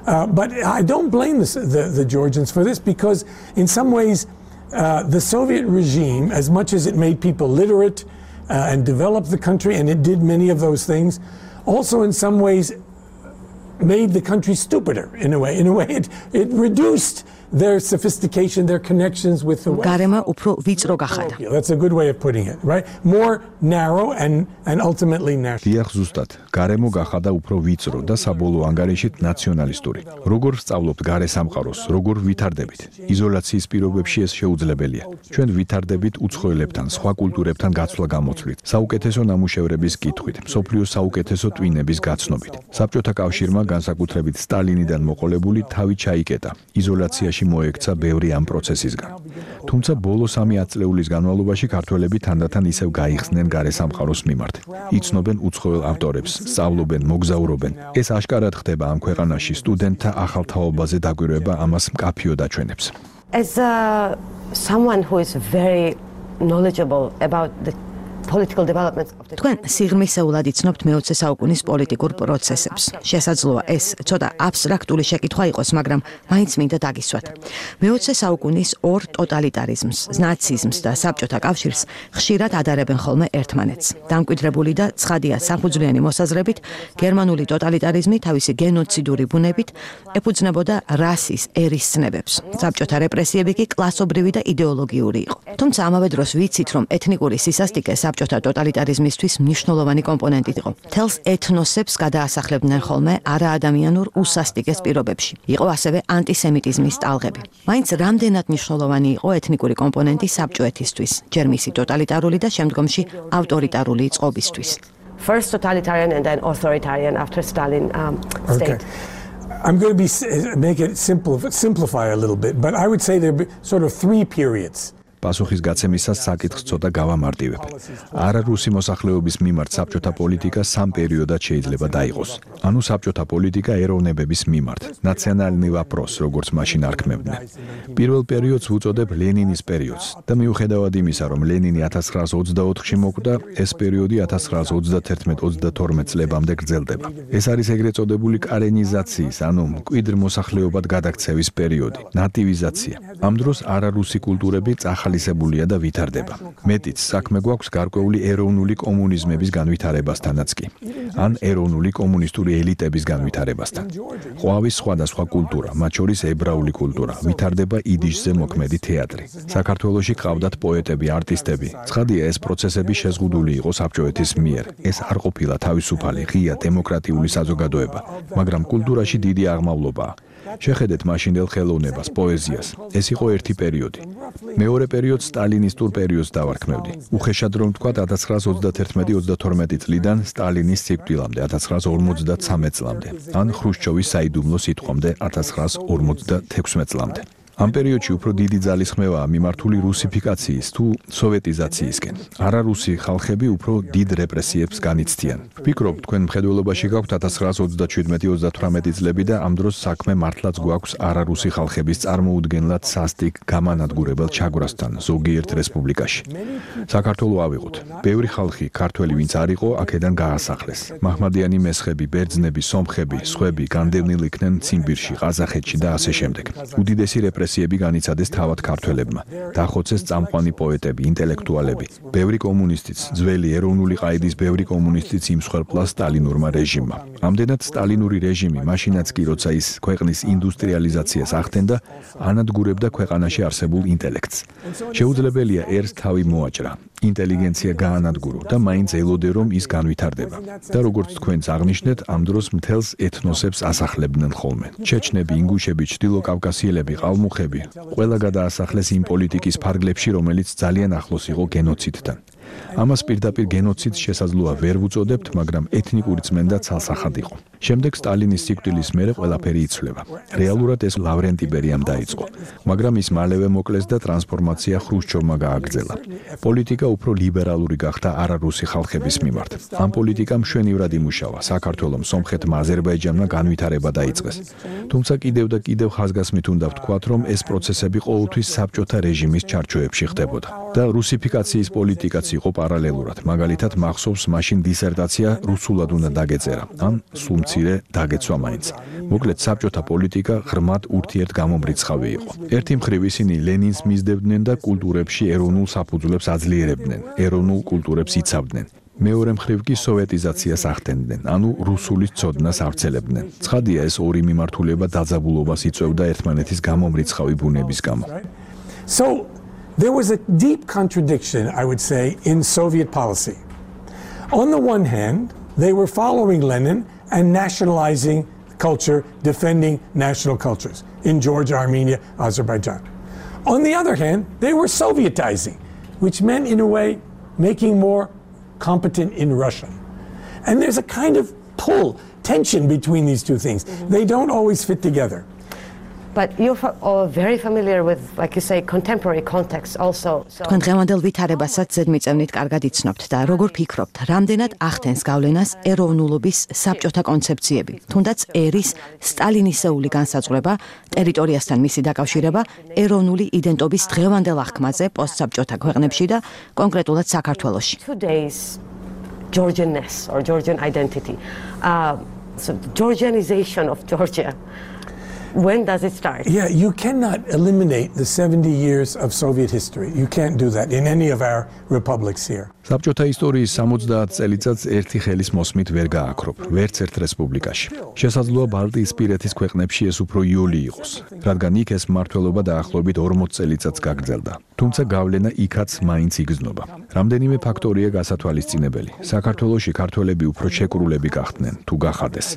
S3: But I don't blame the Georgians for this, because in some ways, the Soviet regime, as much as it made people literate and developed the country, and it did many of those things, also in some ways made the country stupider in a way. In a way, it reduced their sophistication, their connections with the West.
S2: გარემო უფრო ვიწრო გახადა.
S3: That's a good way of putting it, right? More narrow and ultimately national.
S4: დიახ, ზუსტად, გარემო გახადა უფრო ვიწრო და საბოლოო ანგარიშით ნაციონალისტური. როგორ ვსწავლობთ გარე სამყაროს, როგორ ვითარდებით? იზოლაციის პირობებში ეს შეუძლებელია. ჩვენ ვითარდებით უცხოელებთან, სხვა კულტურებთან გაცვლა-გამოცვლით, საუკეთესო ნამუშევრების კითხვით, მსოფლიოს საუკეთესო ტვინების გაცნობით. საბჭოთა კავშირმა განსაკუთრებით სტალინიდან მოყოლებული თავი ჩაიკეტა. იზოლაციაში მოექცა ბევრი ამ პროცესისგან. თუმცა ბოლო 3 ათწლეულის განმავლობაში ქართველები თანდათან ისევ გაიხსნენ გარე სამყაროს მიმართ. იცნობენ უცხოელ ავტორებს, სწავლობენ, მოგზაურობენ. ეს აშკარად ხდება ამ ქვეყანაში, სტუდენტთა ახალ თაობაზე დაკვირვება ამას მკაფიოდ აჩვენებს.
S7: As someone who is very knowledgeable about the political developments of the
S2: თქვენ სიღრმისეულად იცნობთ მე-20 საუკუნის პოლიტიკურ პროცესებს. შესაძლოა ეს ცოტა აბსტრაქტული შეკითხვა იყოს, მაგრამ მაინც მინდა დაგისვათ. მე-20 საუკუნის ორ ტოტალიტარიზმს, ნაციზმს და საბჭოთა კავშირს ხშირად ადარებენ ხოლმე ერთმანეთს. დამკვიდრებული და ცხადია საფუძვლიანი მოსაზრებით, გერმანული ტოტალიტარიზმი თავისი გენოციდური ბუნებით ეფუძნებოდა რასის, ერის ცნებებს. საბჭოთა რეპრესიები კი კლასობრივი და იდეოლოგიური იყო. თუმცა ამავე დროს ვიცით, რომ ეთნიკური სისასტიკე საბჭოთა ტოტალიტარიზმისთვის მნიშვნელოვანი კომპონენტი იყო. თელს ეთნოსებს გადაასახლებდნენ ხოლმე არაადამიანურ უსასტიკეს პირობებში. იყო ასევე ანტისემიტიზმის ტალღები. მაინც რამდენად მნიშვნელოვანი იყო ეთნიკური კომპონენტი საბჭოეთისთვის, ჯერ მისი ტოტალიტარული და შემდგომში ავტორიტარული წყობისთვის.
S7: first totalitarian and then authoritarian after Stalin state.
S3: Okay. I'm going to make it simplify a little bit, but I would say there are sort of three periods.
S4: პასუხის გაცემისას საკითხს ცოტა გავამარტივებ. არარუსი მოსახლეობის მიმართ საბჭოთა პოლიტიკა სამ პერიოდად შეიძლება დაიყოს. ანუ საბჭოთა პოლიტიკა ეროვნებების მიმართ, ნაციონალნი ვაპროს, როგორც მაშინ არქმევდნენ. პირველ პერიოდს ვუწოდებ ლენინის პერიოდს და მიუხედავად იმისა, რომ ლენინი 1924-ში მოკვდა, ეს პერიოდი 1931-32 წლებამდე გრძელდება. ეს არის ეგრეთ წოდებული კარენიზაციის, ანუ მკვიდრ მოსახლეობად გადაქცევის პერიოდი, ნატივიზაცია. ამ დროს არარუსი კულტურები ახალისებულია და ვითარდება. მეტიც, საქმე გვაქვს გარკვეული ეროვნული კომუნიზმების განვითარებასთანაც კი, ან ეროვნული კომუნისტური ელიტების განვითარებასთან. ყვავის სხვადასხვა კულტურა, მათ შორის ებრაული კულტურა, ვითარდება იდიშზე მოქმედი თეატრი. საქართველოში ყავდათ პოეტები, არტისტები. ცხადია, ეს პროცესები შეზღუდული იყო საბჭოეთის მიერ. ეს არ ყოფილა თავისუფალი, ღია დემოკრატიული საზოგადოება, მაგრამ კულტურაში დიდი აღმავლობაა. შეხედეთ მაშინდელ ხელოვნებას, პოეზიას. ეს იყო ერთი პერიოდი. მეორე პერიოდს სტალინისტურ პერიოდს დავარქმევდი. უხეშად რომ ვთქვათ 1931-32 წლიდან სტალინის სიკვდილამდე 1953 წლამდე, ან ხრუშჩოვის საიდუმლო სიტყვამდე 1956 წლამდე. ამ პერიოდში უფრო დიდი ძალისხმევაა მიმართული რუსიფიკაციის თუ სოვეტიზაციისკენ. არარუსი ხალხები უფრო დიდ რეპრესიებს განიცდიან. ვფიქრობ, თქვენ მხედველობაში გაქვთ 1937-38 წლები და ამ დროს საქმე მართლაც გვაქვს არარუსი ხალხების წარმოუდგენლად სასტიკ გამანადგურებელ ჩაგვრასთან ზოგიერთ რესპუბლიკაში. საქართველო ავიღოთ. ბევრი ხალხი, ქართველი ვინც არ იყო, აქედან გაასახლეს. მაჰმადიანი მესხები, ბერძნები, სომხები, სხვები განდევნილ იქნენ ციმბირში, ყაზახეთში და ასე შემდეგ. უდიდესი რეპრესიები განიცადეს თავად ქართველებმა. დახოცეს წამყვანი პოეტები, ინტელექტუალები. ბევრი კომუნისტიც, ძველი ეროვნული ყაიდის ბევრი კომუნისტიც იმსხვერპლა სტალინურმა რეჟიმმა. ამდენად სტალინური რეჟიმი მაშინაც კი, როცა ის ქვეყნის ინდუსტრიალიზაციას ახდენდა, ანადგურებდა ქვეყანაში არსებულ ინტელექტს. შეუძლებელია ერს თავი მოაჭრა, ინტელიგენცია გაანადგურო და მაინც ელოდე, რომ ის განვითარდება. და როგორც თქვენც აღნიშნეთ, ამ დროს მთელს ეთნოსებს ასახლებდნენ ხოლმე. ჩეჩნები, ინგუშები, ჩრდილოკავკასიელები, ყალმუხები, ყველა გადაასახლეს იმ პოლიტიკის ფარგლებში, რომელიც ძალიან ახლოს იყო გენოციდთან. ამას პირდაპირ გენოციდს შესაძლოა ვერ ვუწოდებთ, მაგრამ ეთნიკური წმენდა ცალსახად იყო. შემდეგ სტალინის სიკვდილის მერე ყველაფერი იცვლება. რეალურად ეს ლავრენტი ბერიამ დაიწყო, მაგრამ ის მალევე მოკლეს და ტრანსფორმაცია ხრუშჩოვმა გააგრძელა. პოლიტიკა უფრო ლიბერალური გახდა არარუსი ხალხების მიმართ. ამ პოლიტიკამ მშვენივრად იმუშავა საქართველოს, სომხეთმა, აზერბაიჯანმა განვითარება დაიწყეს. თუმცა კიდევ და კიდევ ხაზგასმით უნდა ვთქვათ, რომ ეს პროცესები ყოველთვის საბჭოთა რეჟიმის ჩარჩოებში ხდებოდა და რუსიფიკაციის პოლიტიკაც იყო პარალელურად. მაგალითად, მახსოვს მაშინ დისერტაცია რუსულად უნდა დაგეწერა, ან სულ მცირე დაგეცვა მაინც. მოკლედ, საბჭოთა პოლიტიკა ღრმად ურთიერთგამომრიცხავი იყო. ერთი მხრივ ისინი ლენინს მისდევდნენ და კულტურებში ეროვნულ საფუძვლებს აძლიერებდნენ, ეროვნულ კულტურებს იცავდნენ. მეორე მხრივ კი სოვეტიზაციას ახდენდნენ, ანუ რუსულის ცოდნას ავრცელებდნენ. ცხადია, ეს ორი მიმართულება დაძაბულობას იწვევდა ერთმანეთის გამომრიცხავი ბუნების გამო.
S3: So there was a deep contradiction, I would say, in Soviet policy. On the one hand, they were following Lenin and nationalizing culture, defending national cultures in Georgia, Armenia, Azerbaijan. On the other hand, they were Sovietizing, which meant, in a way, making more competent in Russian. And there's a kind of pull, tension between these two things. They don't always fit together.
S7: But you're all very familiar with, like you say, contemporary context also.
S2: თქვენ დღევანდელ ვითარებასაც ზედმიწევნით კარგად იცნობთ და როგორ ფიქრობთ, რამდენად ახდენს გავლენას ეროვნულობის საბჭოთა კონცეფციები, თუნდაც ერის სტალინისეული განსაზღვრება, ტერიტორიასთან მისი დაკავშირება, ეროვნული იდენტობის დღევანდელ აღქმაზე პოსტსაბჭოთა ქვეყნებში და კონკრეტულად საქართველოში.
S7: Today's Georgianness or Georgian identity, so Georgianization of Georgia. When does it start?
S3: Yeah, you cannot eliminate the 70 years of Soviet history. You can't do that in any of our republics here.
S4: საბჭოთა ისტორიის 70 წელიწადს ერთი ხელის მოსმით ვერ გააქრობ, ვერც ერთ რესპუბლიკაში. შესაძლოა ბალტიისპირეთის ქვეყნებში ეს უფრო იოლი იყოს, რადგან იქ ეს მმართველობა დაახლოებით 40 წელიწადს გაგრძელდა. თუმცა გავლენა იქაც მაინც იგრძნობა. რამდენიმე ფაქტორია გასათვალისწინებელი. საქართველოში ქართველები უფრო შეკრულები გახდნენ, თუ გახადეს.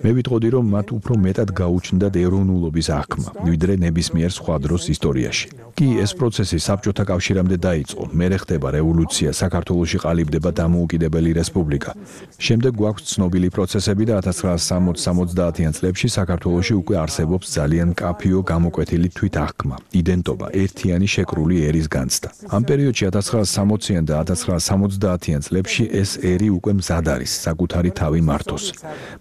S4: მე ვიტყოდი, რომ მათ უფრო მეტად გაუჩნდათ ეროვნულობის აღქმა, ვიდრე ნებისმიერ სხვა დროს ისტორიაში. კი ეს პროცესი საბჭოთა კავშირამდე დაიწყო. მერე ხდება რევოლუცია, საქართველოში ყალიბდება დამოუკიდებელი რესპუბლიკა. შემდეგ გვაქვს ცნობილი პროცესები და 1960-70-იან წლებში საქართველოში უკვე არსებობს ძალიან მკაფიო გამოკვეთილი თვითაღქმა, იდენტობა, ერთიანი შეკრული ერის განცდა. ამ პერიოდში 1960-იან და 1970-იან წლებში ეს ერი უკვე მზად არის საკუთარი თავი მართოს.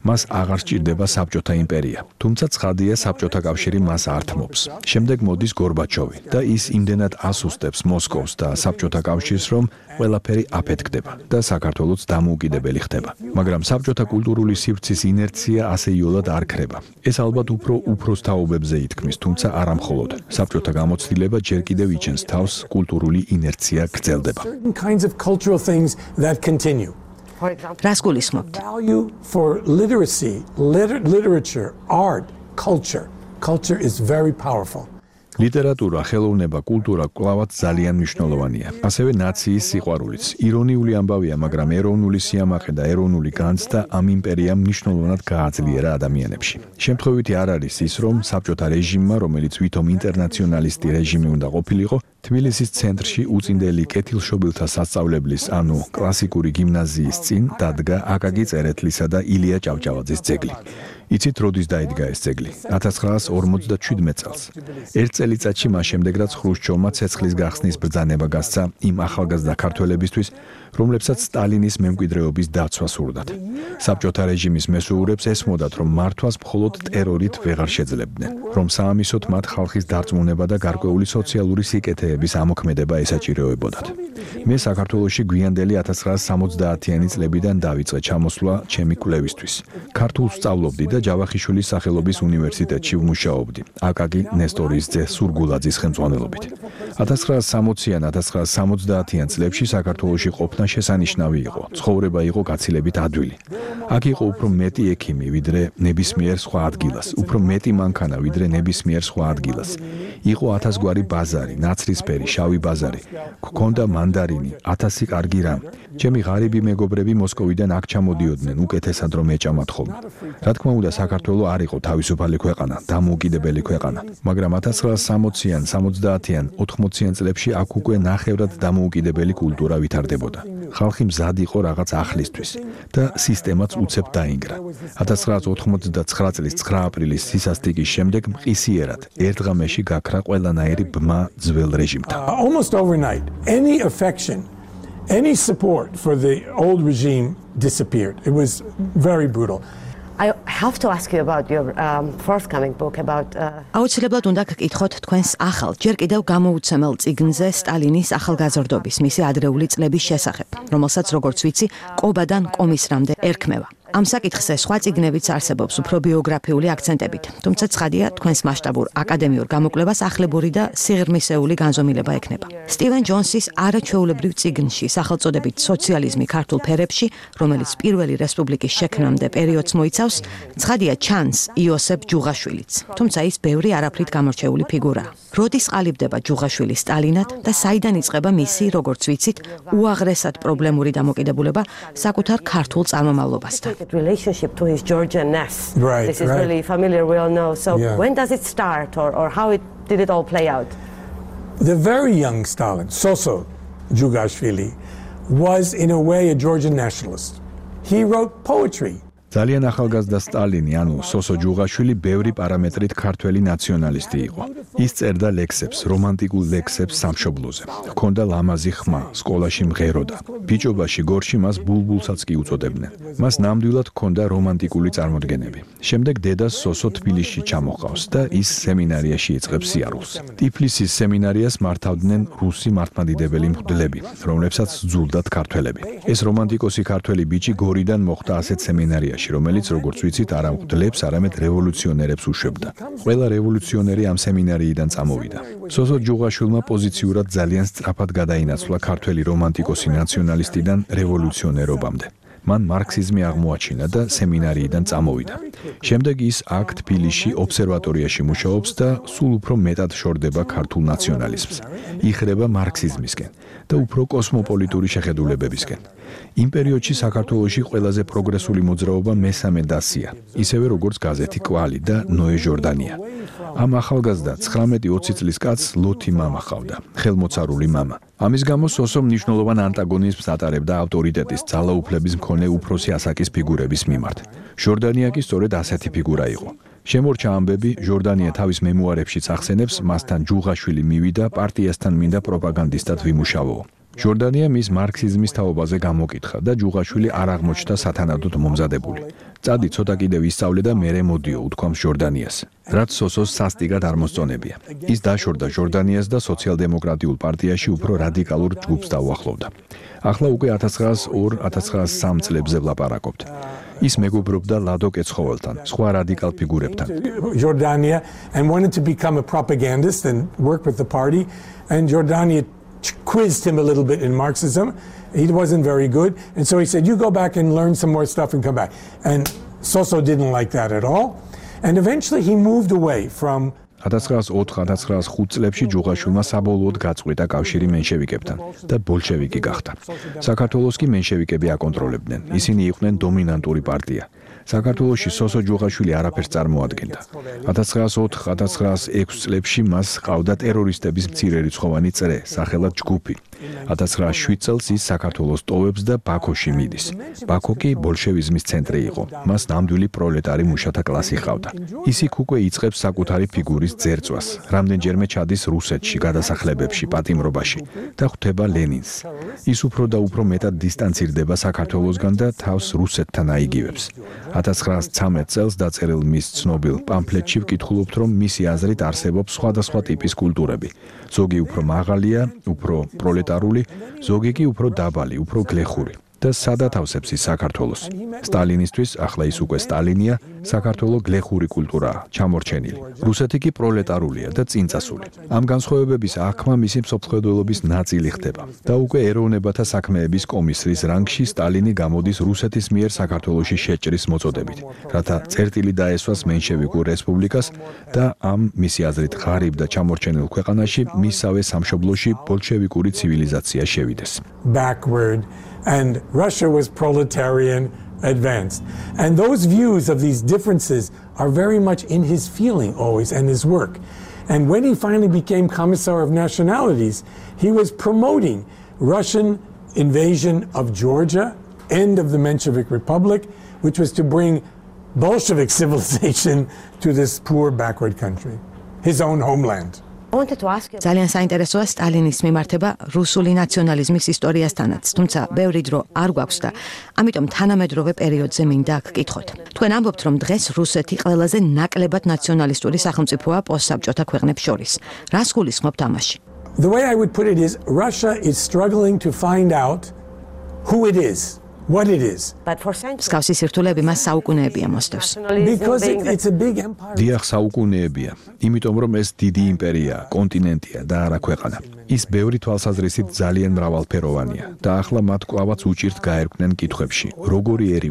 S4: მას აღარ სჭირდება საბჭოთა იმპერია. თუმცა ცხადია, საბჭოთა კავშირი მას ართმობს. შემდეგ მოდის გორბაჩოვი და ის იმდენად ასუსტებს მოსკოვს და საბჭოთა კავშირს, რომ ყველაფერი აფეთქდება და საქართველოც დამოუკიდებელი ხდება. მაგრამ საბჭოთა კულტურული სივრცის ინერცია ასეიოლად არ ქრება. ეს ალბათ უფრო უფროს თაობებზე ითქმის, თუმცა არა მხოლოდ. საბჭოთა გამოცდილება ჯერ კიდევ იჩენს თავს, კულტურული ინერცია გრძელდება.
S2: რას გულისხმობთ?
S3: Value for literacy, literature, art, culture is very powerful.
S4: ლიტერატურა, ხელოვნება, კულტურა კვლავაც ძალიან მნიშვნელოვანია. ასევე ნაციის სიყვარულიც. ირონიული ამბავია, მაგრამ ეროვნული სიამაყე და ეროვნული განცდა ამ იმპერიამ მნიშვნელოვნად გააძლიერა ადამიანებში. შემთხვევითი არ არის ის, რომ საბჭოთა რეჟიმმა, რომელიც ვითომ ინტერნაციონალისტი რეჟიმი უნდა ყოფილიყო, თბილისის ცენტრში უწინდელი კეთილშობილთა სასწავლებლის, ანუ კლასიკური გიმნაზიის წინ დადგა აკაკი წერეთლისა და ილია ჭავჭავაძის ძეგლი. იცით, როდის დაიდგა ეს ძეგლი? 1957 წელს. ერთ წელიწადში მას შემდეგ, რაც ხრუშჩოვმა ცეცხლის გახსნის ბრძანება გასცა იმ ახალგაზრდა ქართველებისთვის, რომლებსაც სტალინის მემკვიდრეობის დაცვა სურდათ. საბჭოთა რეჟიმის მესვეურებს ესმოდათ, რომ მართვას მხოლოდ ტერორით ვეღარ შეძლებდნენ, რომ საამისოდ მათ ხალხის დარწმუნება და გარკვეული სოციალური სიკეთეების ამოქმედება ესაჭიროებოდათ. მე საქართველოში გვიანდელი 1970-იანი წლებიდან დავიწყე ჩამოსვლა ჩემი კვლევისთვის. ქართულს სწავლობდი და ჯავახიშვილის სახელობის უნივერსიტეტში ვმუშაობდი, აკაკი ნესტორის ძე სურგულაძის ხელმძღვანელობით. 1960-იან, 1970-იან წლებში საქართველოში ყოფნა შესანიშნავი იყო, ცხოვრება იყო გაცილებით ადვილი. აქ იყო უფრო მეტი ექიმი, ვიდრე ნებისმიერ სხვა ადგილას, უფრო მეტი მანქანა, ვიდრე ნებისმიერ სხვა ადგილას. იყო 1000 გვარი ბაზარი, ნაცრისფერი, შავი ბაზარი, გქონდა მანდარინი, 1000 კარგი რამ. ჩემი ღარიბი მეგობრები მოსკოვიდან აქ ჩამოდიოდნენ, უკეთესად რომ ეჭამათ ხოლმე. რა თქმა უნდა, საქართველო არ იყო თავისუფალი ქვეყანა, დამოუკიდებელი ქვეყანა, მაგრამ 1960-იან, 70-იან, 80-იან წლებში აქ უკვე ნახევრად დამოუკიდებელი კულტურა ვითარდებოდა. ხალხი მზად იყო რაღაც ახლისთვის და სისტემაც უცებ დაინგრა. 1989 წლის 9 აპრილის სისასტიკის შემდეგ მყისიერად ერთ ღამეში გაქრა ყველანაირი ბმა ძველ რეჟიმთან.
S3: Almost overnight, any affection, any support for the old regime disappeared. It was very brutal.
S7: I have to ask you about your forthcoming book about
S2: აუცილებლად უნდა გკითხოთ თქვენს ახალ, ჯერ კიდევ გამოუცემელ წიგნზე სტალინის ახალგაზრდობის მისი ადრეული წლების შესახებ, რომელსაც როგორც ვიცი, კობადან კომისრამდე ერქმევა. ამ საკითხზე სხვა წიგნებიც არსებობს უფრო ბიოგრაფიული აქცენტებით, თუმცა ცხადია, თქვენს მასშტაბურ აკადემიურ გამოკვლევას ახლებური და სიღრმისეული განზომილება ექნება. სტივენ ჯონსის არაჩვეულებრივ წიგნში, სახელწოდებით სოციალიზმი ქართულ ფერებში, რომელიც პირველი რესპუბლიკის შექმნამდე პერიოდს მოიცავს, ცხადია ჩანს იოსებ ჯუღაშვილიც, თუმცა ის ბევრი არაფრით გამორჩეული ფიგურაა. როდის ყალიბდება ჯუღაშვილი სტალინად და საიდან იწყება მისი, როგორც ვიცით, უაღრესად პრობლემური დამოკიდებულება საკუთარ ქართულ წარმომავლობასთან?
S7: relationship to his Georgian-ness.
S3: Right,
S7: This is
S3: right.
S7: really familiar, we all know. So
S3: Yeah.
S7: when does it start or how did it all play out?
S3: The very young Stalin, Soso Jugashvili, was in a way a Georgian nationalist. He wrote poetry.
S4: ძალიან ახალგაზრდა სტალინი, ანუ სოსო ჯუღაშვილი ბევრი პარამეტრით ქართველი ნაციონალისტი იყო. ის წერდა ლექსებს, რომანტიკულ ლექსებს სამშობლოზე. ჰქონდა ლამაზი ხმა, სკოლაში მღეროდა. ბიჭობაში გორში მას ბულბულსაც კი უწოდებდნენ. მას ნამდვილად ჰქონდა რომანტიკული წარმოდგენები. შემდეგ დედას სოსო თბილისში ჩამოყავს და ის სემინარიაში იწყებს სიარულს. ტიფლისის სემინარიას მართავდნენ რუსი მართლმადიდებელი მღვდლები, რომლებსაც სძულდათ ქართველები. ეს რომანტიკოსი ქართველი ბიჭი გორიდან მოხვდა ასეთ სემინარიაში, რომელიც როგორც ვიცით, არა მღვდლებს, არამედ რევოლუციონერებს უშვებდა. ყველა რევოლუციონერი ამ სემინარიიდან წამოვიდა. სოსო ჯუღაშვილმა პოზიციურად ძალიან სწრაფად გადაინაცვლა ქართველი რომანტიკოსი ნაციონალისტიდან რევოლუციონერობამდე. მან მარქსიზმი აღმოაჩინა და სემინარიიდან წამოვიდა. შემდეგ ის აქ თბილისში ობსერვატორიაში მუშაობს და სულ უფრო მეტად შორდება ქართულ ნაციონალიზმს. იხრება მარქსიზმისკენ და უფრო კოსმოპოლიტური შეხედულებებისკენ. იმ პერიოდში საქართველოში ყველაზე პროგრესული მოძრაობა მესამე დასია, ისევე როგორც გაზეთი კვალი და ნოე ჟორდანია. ამ ახალგაზრდა 19-20 წლის კაცს ლოთი მამა ჰყავდა, ხელმოცარული მამა. ამის გამო სოსო მნიშვნელოვან ანტაგონიზმს ატარებდა ავტორიტეტის, ძალაუფლების მქონე უფროსი ასაკის ფიგურების მიმართ. ჟორდანია კი სწორედ ასეთი ფიგურა იყო. შემორჩა ამბები, ჟორდანია თავის მემუარებშიც ახსენებს, მასთან ჯუღაშვილი მივიდა პარტიასთან მინდა პროპაგანდისტად ვიმუშავო. ჟორდანია მის მარქსიზმის თაობაზე გამოკითხა და ჯუღაშვილი არ აღმოჩნდა სათანადოდ მომზადებული. წადი ცოტა კიდევ ისწავლე და მერე მოდიო, უთქვამს ჟორდანიას. რაც სოსოს სასტიკად არ მოსწონებია. ის დაშორდა ჟორდანიას და სოციალ-დემოკრატიულ პარტიაში უფრო რადიკალურ ჯგუფს დაუახლოვდა. ახლა უკვე 1902-1903 წლებზე ვლაპარაკობთ. ის მეგობრობდა ლადო კეცხოველთან, სხვა რადიკალ ფიგურებთან.
S3: Jordania and wanted to become a propagandist and work with the party, and Jordania quizzed him a little bit in Marxism. He wasn't very good, and so he said, you go back and learn some more stuff and come back. And Soso didn't like that at all, and eventually he moved away from
S4: 1904-1905 წლებში ჯუღაშვილმა საბოლოოდ გაწყვიტა კავშირი მენშევიკებთან და ბოლშევიკი გახდა. საქართველოს კი მენშევიკები აკონტროლებდნენ. ისინი იყვნენ დომინანტური პარტია. საქართველოში სოსო ჯუღაშვილი არაფერს წარმოადგენდა. 1904-1906 წლებში მას ჰყავდა ტერორისტების მცირერიცხოვანი წრე, სახელად ჯგუფი. 1907 წელს ის საქართველოს ტოვებს და ბაქოში მიდის. ბაქო კი ბოლშევიზმის ცენტრი იყო. მას ნამდვილი პროლეტარი მუშათა კლასი ჰყავდა. ის იქ უკვე იწყებს საკუთარი ფიგურის ძერწვას. რამდენჯერმე ჩადის რუსეთში, გადასახლებებში, პატიმრობაში და ხვდება ლენინს. ის უფრო და უფრო მეტად დისტანცირდება საქართველოსგან და თავს რუსეთთან აიგივებს. 1913 წელს დაწერილ მის ცნობილ პამფლეტში ვკითხულობთ, რომ მისი აზრით არსებობს სხვადასხვა ტიპის კულტურები. ზოგი უფრო მაღალია, უფრო პროლეტარული, ზოგი კი უფრო დაბალი, უფრო გლეხური. და სადაც ავსებს ის საქართველოს. სტალინისტვის, ახლა ის უკვე სტალინია, საქართველოს გლეხური კულტურაა, ჩამორჩენილი. რუსეთი კი პროლეტარულია და წინწასული. ამ განსხვავებების აღქმა მისი მსოფლმხედველობის ნაწილი ხდება. და უკვე ეროვნებათა საქმეების კომისრის რანგში სტალინი გამოდის რუსეთის მიერ საქართველოში შეჭრის მოწოდებით, რათა წერტილი დაესვას მენშევიკურ რესპუბლიკას და ამ მისი აზრით ღარიბ და ჩამორჩენილ ქვეყანაში მისავე სამშობლოში ბოლშევიკური ცივილიზაცია შევიდეს.
S3: Backward. And Russia was proletarian advanced. And those views of these differences are very much in his feeling always and his work. And when he finally became Commissar of Nationalities, he was promoting Russian invasion of Georgia, end of the Menshevik Republic, which was to bring Bolshevik civilization to this poor backward country, his own homeland.
S2: ძალიან საინტერესოა სტალინის მიმართება რუსული ნაციონალიზმის ისტორიასთანაც, თუმცა ბევრი დრო არ გვაქვს და ამიტომ თანამედროვე პერიოდზე მინდა გკითხოთ. თქვენ ამბობთ, რომ დღეს რუსეთი ყველაზე ნაკლებად ნაციონალისტური სახელმწიფოა პოსტსაბჭოთა ქვეყნებს შორის. რას გულისხმობთ ამაში?
S3: The way I would put it is Russia is struggling to find out who it is. What it is.
S2: მსგავსი სირთულეები მას საუკუნეებია მოსდევს.
S3: Because it's a big empire.
S4: დიახ, საუკუნეებია, იმიტომ რომ ეს დიდი იმპერიაა, კონტინენტია და არა ქვეყანა. ის ბევრი თვალსაზრისით ძალიან მრავალფეროვანია და ახლა მათ კვლავაც უჭირთ გაერკვნენ კითხვებში. როგორი ერი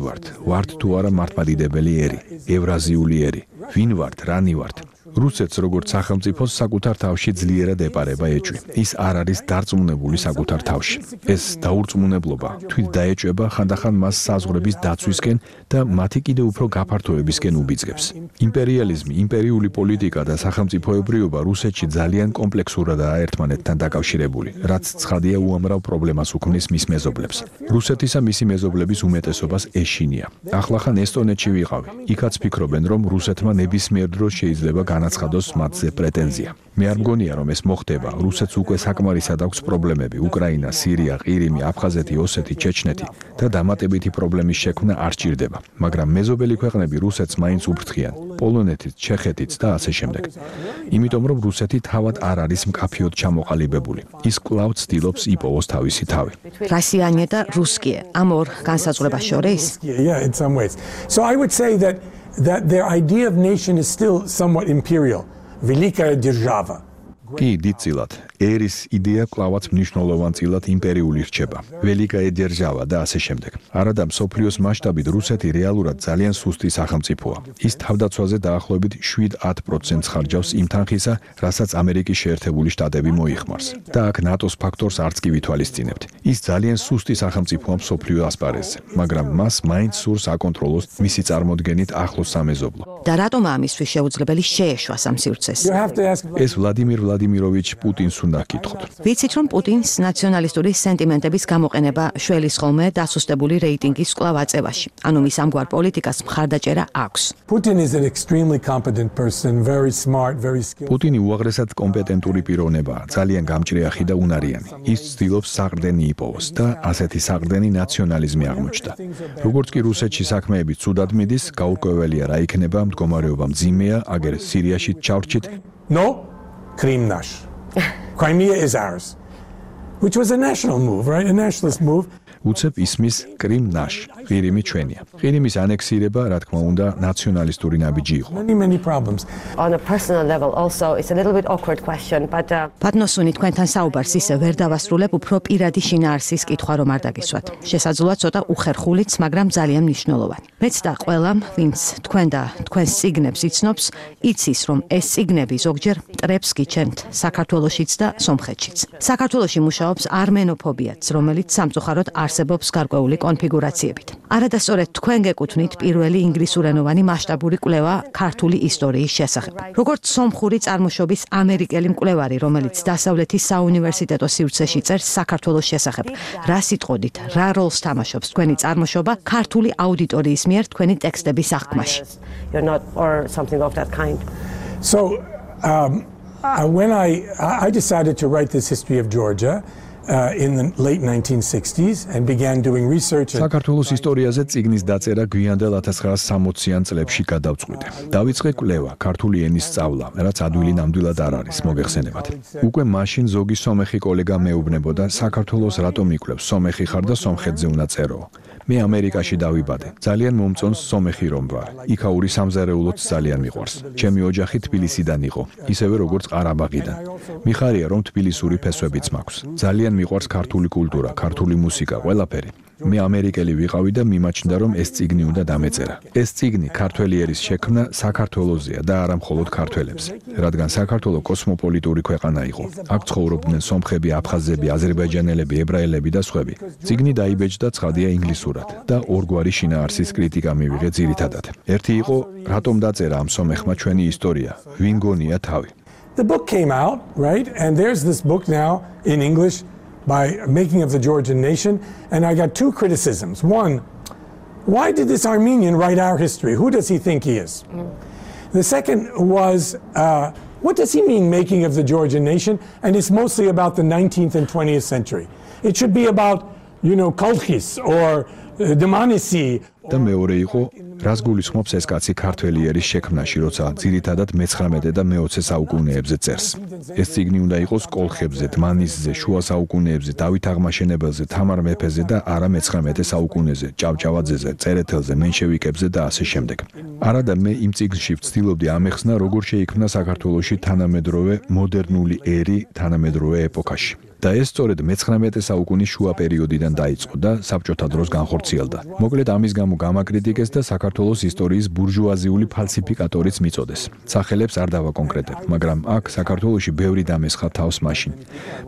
S4: ვართ თუ არა მართლმადიდებელი ერი, ევრაზიული ერი, ვინ ვართ, რანი ვართ? რუსეთს როგორც სახელმწიფოს საკუთარ თავში ძლიერად ეპარება ეჭვი. ის არ არის დარწმუნებული საკუთარ თავში. ეს დაურწმუნებლობა თვით დაეჭვება ხანდახან მას საზღვრების დაცვისკენ და მათი კიდევ უფრო გაფართოებისკენ უბიძგებს. იმპერიალიზმი, იმპერიული პოლიტიკა და სახელმწიფოებრიობა რუსეთში ძალიან კომპლექსურადაა ერთმანეთთან დაკავშირებული, რაც ცხადია უამრავ პრობლემას უქმნის მის მეზობლებს. რუსეთისა მისი მეზობლების უმეტესობას ეშინია. ახლახან ესტონეთში ვიყავი. იქაც ფიქრობენ, რომ რუსეთმა ნებისმიერ დროს შეიძლება განაცხადოს მათზე პრეტენზია. მე არ მგონია, რომ ეს მოხდება. რუსეთს უკვე საკმარისად აქვს პრობლემები: უკრაინა, სირია, ყირიმი, აფხაზეთი, ოსეთი, ჩეჩნეთი და დამატებითი პრობლემის შექმნა არ ჭირდება. მაგრამ მეზობელი ქვეყნები რუსეთს მაინც უფრთხიან: პოლონეთიც, ჩეხეთიც და ასე შემდეგ. იმიტომ რომ რუსეთი თავად არ არის მკაფიოდ ჩამოყალიბებული. ის კვლავ ცდილობს იპოვოს თავისი თავი.
S2: რასიანია და რუსკიე ამ ორ განსაზღვრებას შორის?
S3: Yeah, in some ways. So I would say that their idea of nation is still somewhat imperial. Великая держава.
S4: კი, დიდწილად. ერის იდეა კლავაც მნიშვნელოვანწილად იმპერიული რჩება. ველიკაე დერჟავა და ასე შემდეგ. არადა მსოფლიოს მასშტაბით რუსეთი რეალურად ძალიან სუსტი სახელმწიფოა. ის თავდაცვაზე დაახლოებით 7-10% ხარჯავს იმ თანხისა, რასაც ამერიკის შეერთებული შტატები მოიხმარს. და აქ ნატოს ფაქტორს არც კი ვითვალისწინებთ. ის ძალიან სუსტი სახელმწიფოა მსოფლიო ასპარეზზე, მაგრამ მას მაინც სურს აკონტროლოს მისი წარმოდგენით ახლოს სამეზობლო.
S2: და რატომ ამისთვის შეუძლებელი შეეშვა ამ სივრცეს?
S4: ეს ვლადიმირ ვლადიმიროვიჩ პუტინს უნდა გკითხოთ.
S2: ვიცით, რომ პუტინს ნაციონალისტური სენტიმენტების გამოყენება შველის ხოლმე დასუსტებული რეიტინგის კვლავ აწევაში. ანუ მის ამგვარ პოლიტიკას მხარდაჭერა აქვს.
S3: Putin is an extremely competent person, very smart, very skilled.
S4: პუტინი უაღრესად კომპეტენტური პიროვნებაა, ძალიან გამჭრიახი და უნარიანი. ის ცდილობს საყრდენი იპოვოს და ასეთი საყრდენი ნაციონალიზმი აღმოჩნდა. როგორც კი რუსეთში საქმეები ცუდად მიდის, გაურკვეველია რა იქნება, მდგომარეობა მძიმეა, აგერ სირიაში ჩავრჩით.
S3: No, Krim nash. Crimea is ours. Which was a national move, right? A nationalist move.
S4: უცებ ისმის კრიმ ნაშ, ყირიმი ჩვენია. ყირიმის ანექსირება, რა თქმა უნდა, ნაციონალისტური ნაბიჯი იყო.
S3: Many problems.
S7: On a personal level also it's a little bit awkward question, but
S2: პატნოსუნი თქვენთან საუბარს ისე ვერ დავასრულებ, უფრო პირადი შინაარსის კითხვა რომ არ დაგისვათ. შესაძლოა ცოტა უხერხულიც, მაგრამ ძალიან მნიშვნელოვანი. მეც და ყველამ, ვინც თქვენ და თქვენს წიგნებს იცნობს, იცის, რომ ეს წიგნები ზოგჯერ მტრებს გიჩენთ საქართველოშიც და სომხეთშიც. საქართველოში მუშაობს არმენოფობიაც, რომელიც სამწუხაროდ არსებობს გარკვეული კონფიგურაციებით. არადა სწორედ თქვენ გეკუთვნით პირველი ინგლისურენოვანი მასშტაბური კვლევა ქართული ისტორიის შესახებ. როგორც სომხური წარმოშობის ამერიკელი მკვლევარი, რომელიც დასავლეთის საუნივერსიტეტო სივრცეში წერს საქართველოს შესახებ, რა სიტყოდით, რა როლს თამაშობს თქვენი წარმოშობა ქართული აუდიტორიის მიერ თქვენი ტექსტების აღქმაში?
S7: you're not or something of that kind.
S3: So when I decided to write this history of Georgia in the late 1960s and began doing research.
S4: საქართველოს ისტორიაზე წიგნის დაწერა გვიანდელ 1960-იან წლებში გადავწყვიტე. დავიწყე კვლევა, ქართული ენის სწავლა, რაც ადვილი ნამდვილად არ არის, მოგეხსენებათ. უკვე მაშინ ზოგი სომეხი კოლეგა მეუბნებოდა, საქართველოს რატომ იკვლევს, სომეხი ხარ და სომხეთზე უნდა წერო. მე ამერიკაში დავიბადე. ძალიან მომწონს სომეხი რომ ვარ. იქაური სამზარეულოც ძალიან მიყვარს. ჩემი ოჯახი თბილისიდან იყო, ისევე როგორც ყარაბაღიდან. მიხარია რომ თბილისური ფესვებიც მაქვს. ძალიან მიყვარს ქართული კულტურა, ქართული მუსიკა, ყველაფერი. მე ამერიკელი ვიყავი და მიმაჩნდა რომ ეს წიგნი უნდა დამეწერა. ეს წიგნი ქართველი ერის შექმნა საქართველოზეა და არა მხოლოდ ქართველებს, რადგან საქართველო კოსმოპოლიტური ქვეყანა იყო. აქ ცხოვრობდნენ სომხები, აფხაზები, აზერბაიჯანელები, ებრაელები და სხვები. წიგნი დაიბეჭდა ცხადია ინგლისურად და ორგვარი შინაარსის კრიტიკა მივიღე ძირითადად. ერთი იყო, რატომ დაწერა ამ სომეხმა ჩვენი ისტორია, ვინ გონია თავი.
S3: The book came out, right? And there's this book now in English by Making of the Georgian Nation, and I got two criticisms. One, why did this Armenian write our history? Who does he think he is? The second was, what does he mean, making of the Georgian nation? And it's mostly about the 19th and 20th century. It should be about, Kolchis or Dmanisi.
S4: და მეორე იყო, რას გულისხმობს ეს კაცი ქართველი ერის შექმნაში, როცა ძირითადად მე-19 და მე-20 საუკუნეებზე წერს. ეს წიგნი უნდა იყოს კოლხებზე, დმანისზე, შუა საუკუნეებზე, დავით აღმაშენებელზე, თამარ მეფეზე და არა მე-19 საუკუნეზე, ჭავჭავაძეზე, წერეთელზე, მენშევიკებზე და ასე შემდეგ. არადა მე იმ წიგნში ვცდილობდი ამეხსნა, როგორ შეიქმნა საქართველოში თანამედროვე მოდერნული ერი თანამედროვე ეპოქაში. და ეს სწორედ მე-19 საუკუნის შუა პერიოდიდან დაიწყო და საბჭოთა დროს განხორციელდა. მოკლედ ამის გამო გამაკრიტიკეს და საქართველოს ისტორიის ბურჟუაზიული ფალსიფიკატორიც მიწოდეს. სახელებს არ დავაკონკრეტებ, მაგრამ აქ საქართველოში ბევრი დამესხა თავს მაშინ.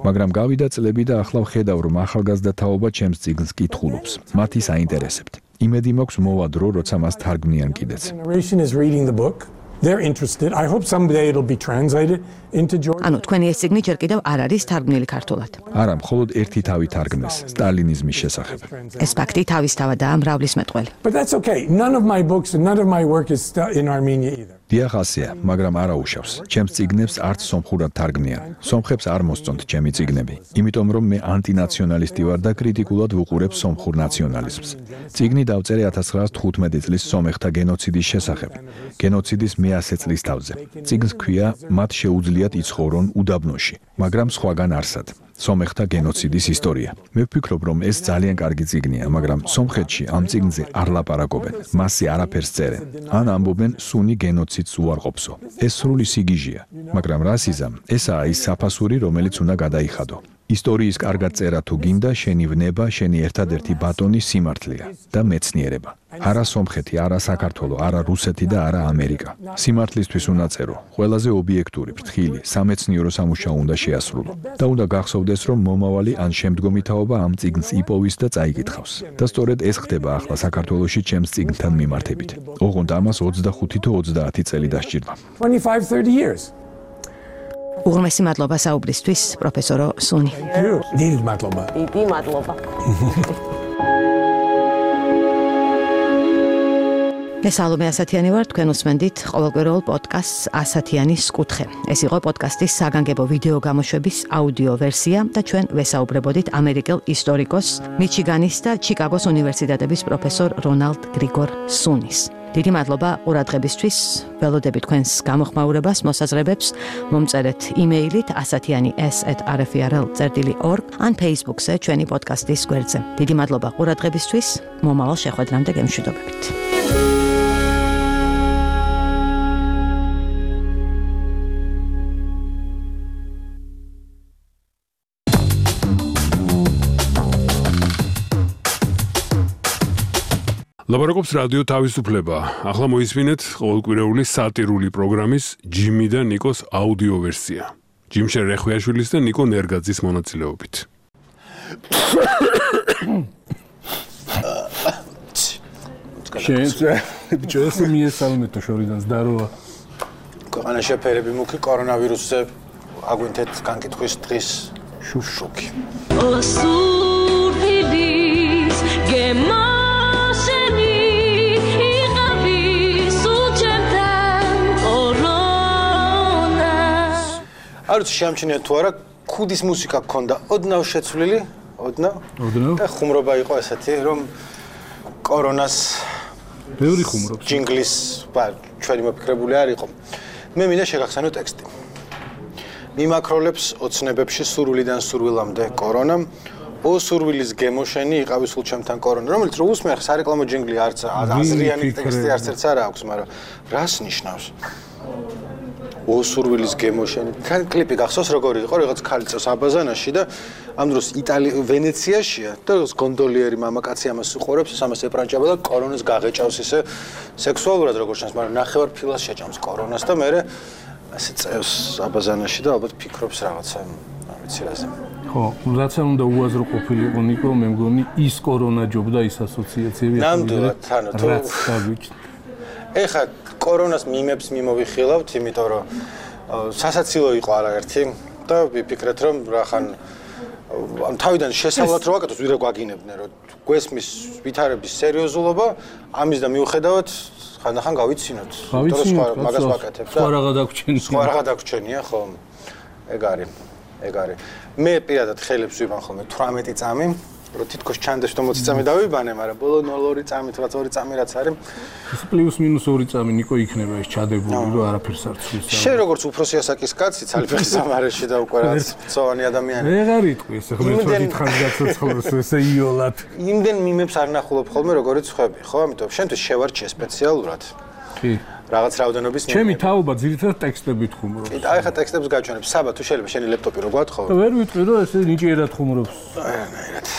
S4: მაგრამ გავიდა წლები და ახლა ვხედავ, რომ ახალგაზრდა თაობა ჩემს წიგნს კითხულობს. მათ ის აინტერესებთ. იმედი მაქვს მოვა დრო, როცა მას თარგმნიან კიდეც.
S3: Generation is reading the book. They're interested. I hope someday it'll be translated into Georgian.
S2: ანუ თქვენი ეს წიგნი ჯერ კიდევ არ არის თარგმნილი ქართულად.
S4: არა, მხოლოდ ერთი თავი თარგმნეს, სტალინიზმის შესახებ.
S2: ეს ფაქტი თავისთავადაა მრავლის მეტყველი.
S3: But that's okay. None of my books and none of my work is in Armenia either.
S4: დიახ, ასეა, მაგრამ არა უშავს. ჩემს წიგნებს არც სომხურად თარგმნიან. სომხებს არ მოსწონთ ჩემი წიგნები, იმიტომ რომ მე ანტინაციონალისტი ვარ და კრიტიკულად ვუყურებ სომხურ ნაციონალიზმს. წიგნი დავწერე 1915 წლის სომეხთა გენოციდის შესახებ. გენოციდის 100 წლის თავზე. წიგნს ქვია, მათ შეუძლიათ იცხოვრონ უდაბნოში, მაგრამ სხვაგან არსად. სომეხთა გენოციდის ისტორია. მე ვფიქრობ, რომ ეს ძალიან კარგი წიგნია, მაგრამ სომხეთში ამ წიგნზე არ ლაპარაკობენ, მასზე არაფერს წერენ. ან ამბობენ სუნი გენოციდს უარყოფსო. ეს სრული სიგიჟეა, მაგრამ რასიზმ ესაა ის საფასური, რომელიც უნდა გადაიხადო. ისტორიის კარგად წერა თუ გინდა, შენი ვნება, შენი ერთადერთი ბატონი სიმართლეა და მეცნიერება. არა სომხეთი, არა საქართველო, არა რუსეთი და არა ამერიკა. სიმართლისთვის უნდა წერო. ყველაზე ობიექტური, ფრთხილი, სამეცნიერო სამუშაო უნდა შეასრულო. და უნდა გახსოვდეს, რომ მომავალი ან შემდგომი თაობა ამ წიგნს იპოვის და წაიკითხავს. და სწორედ ეს ხდება ახლა საქართველოში ჩემს წიგნთან მიმართებით. ოღონდ ამას 25 თუ 30 წელი დასჭირდა.
S3: 25-30 years.
S2: უღრმესი მადლობა საუბრისთვის, პროფესორო სუნი.
S3: დიდი მადლობა.
S7: დიდი მადლობა.
S2: მე სალომე ასათიანი ვარ, თქვენ უსმენდით ყოველკვირეულ პოდკასტს ასათიანის კუთხე. ეს იყო პოდკასტის საგანგებო ვიდეო გამოშვების აუდიო ვერსია და ჩვენ ვესაუბრებოდით ამერიკელ ისტორიკოს, მიჩიგანის და ჩიკაგოს უნივერსიტეტების პროფესორ რონალდ გრიგორ სუნის. დიდი მადლობა ყურადღებისთვის, ველოდებით თქვენს გამოხმაურებას, მოსაზრებებს, მომწერეთ იმეილით asatiani@rfrl.org ან Facebook-ზე ჩვენი პოდკასტის გვერდზე. დიდი მადლობა ყურადღებისთვის, მომავალ შეხვედრამდე გემშვიდობებით.
S1: ლაპარაკობს რადიო თავისუფლება. ახლა მოისმინეთ ყოველკვირეული სატირული პროგრამის ჯიმი და ნიკოს აუდიო ვერსია. ჯიმშენ რეხვიაშვილის და ნიკო ნერგაძის მონაწილეობით.
S8: შენზე ბიჭოს მიესალმეთო შორიდან ზდაროა.
S9: ქვეყანა შეფერები მუქი კორონავირუსზე აგვინთეთ განკითხვის დღის შუშუკი. არც შეამჩნიათ თუ არა ქუდის მუსიკა გქონდა ოდნავ შეცვლილი, ოდნავ და ხუმრობა იყო ესეთი, რომ კორონას
S8: ბევრი ხუმრობს.
S9: ჯინგლის ჩვენი მოფიქრებული არ იყო. მე მინდა შეგახსენო ტექსტი. მიმაქროლებს ოცნებებში სურვილიდან სურვილამდე კორონამ, ო სურვილის გემოშენი იყავი სულ ჩემთან კორონა, რომელიც რო უსმენ ხა სარეკლამო ჯინგლი არც აზრიანი ტექსტი არც ერთს არ აქვს, მაგრამ რას ნიშნავს? ო სურვილის გემოშენი. თან კლიპი გახსოვს როგორი იყო, რაღაც ქალი წავს აბაზანაში და ამ დროს ვენეციაშია და როგორც გონდოლიერი მამაკაცი ამას უყურებს, ამას ეპრანჭება და კორონას გაღეჭავს ისე სექსუალურად როგორც ჩანს, მაგრამ ნახევარ ფილას შეჭამს კორონას და მე ასე წევს აბაზანაში და ალბათ ფიქრობს რაღაცა, არ ვიცი რაზე.
S8: ხო, რაც არ უნდა უაზრო ყოფილიყო ნიკო, მე მგონი ის კორონა ჯობდა ის ასოციაციები.
S9: ნამდვილად, ანუ თუ ეხა კორონას მიმებს მიმოვიხილავთ, იმიტომ რომ სასაცილო იყო არაერთი და ვიფიქრეთ რომ რახან ამ თავიდან შესავლად რო ვაკეთოთ, ვიდრე გვაგინებდნენ რომ გვესმის ვითარების სერიოზულობა, ამის და მიუხედავად ხანდახან გავიცინოთ. მაგას ვაკეთებ და
S8: სხვა რაღა დაგვრჩენია.
S9: სხვა რაღაცა დაგვრჩენია, ხო? ეგ არის. მე პირადად ხელებს ვიბან ხოლმე 18 წამი, რომ თითქოს ჩანდეს რომ 20 წამი დავიბანე, მაგრამ ბოლო 0-2 წამით, 2 წამი რაც არის.
S8: ეს პლუს-მინუს 2 წამი ნიკო იქნება ეს ჩადებული, რომ არაფერს არ ცვლის.
S9: შენ როგორც უფროსი ასაკის კაცი, ცალფეხის სამარეში და უკვე რაც წოვანი ადამიანი.
S8: ვეღარ იტყვი ეს ხომ თვითონ გაცოცხლოს ესე იოლად.
S9: იმდენ მიმებს არ ნახულობ ხოლმე როგორც ხვები, ხო? ამიტომ შენთვის შევარჩიე სპეციალურად.
S8: კი.
S9: რაღაც რაოდენობის მიმები.
S8: ჩემი თაობა ძირითადად ტექსტებით ხუმრობს.
S9: კი, აი ხა ტექსტებს გაჩვენებ. საბა თუ შეიძლება შენი ლეპტოპი რო გვათხოვო.
S8: და ვერ ვიტყვი რომ ესე ნიჭიერად ხუმრობს.
S9: აირად.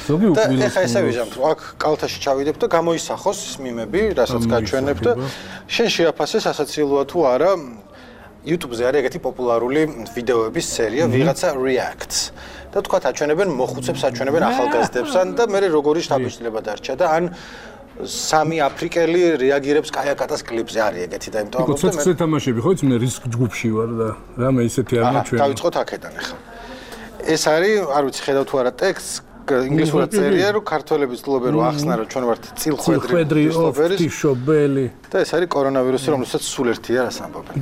S8: ზოგი უკვილოს.
S9: ეხა ესე ვიჟამთ, აქ კალთაში ჩავიდებ და გამოისახოს მიმები, რასაც გაჩვენებ და შენ შეაფასე სასაცილოა თუ არა. YouTube-ზე არის ეგეთი პოპულარული ვიდეოების სერია, ვიღაცა reacts. და თქვა აჩვენებენ მოხუცებს, აჩვენებენ ახალგაზრდებსან და მე როგორი შთაბეჭდილება დარჩა და ან 3 აფრიკელი რეაგირებს კაიაკატას კლიპზე არის ეგეთი და იმიტომ
S8: ამბობ და მე ცოტა თამაშები ხო იცი მე რისკ ჯგუფში ვარ და რამე ისეთი არ მაჩვენე.
S9: დავიწყოთ აქედან ახლა. ეს არის, არ ვიცი ხედავ თუ არა ტექსტს, ინგლისურად წერია, რომ ქართველები ცდილობენ რომ ახსნა რომ ჩვენ ვართ წილხვედრი
S8: ღვთისმშობელი
S9: და ეს არის კორონავირუსი, რომელსაც სულ ერთია რას ამბობენ.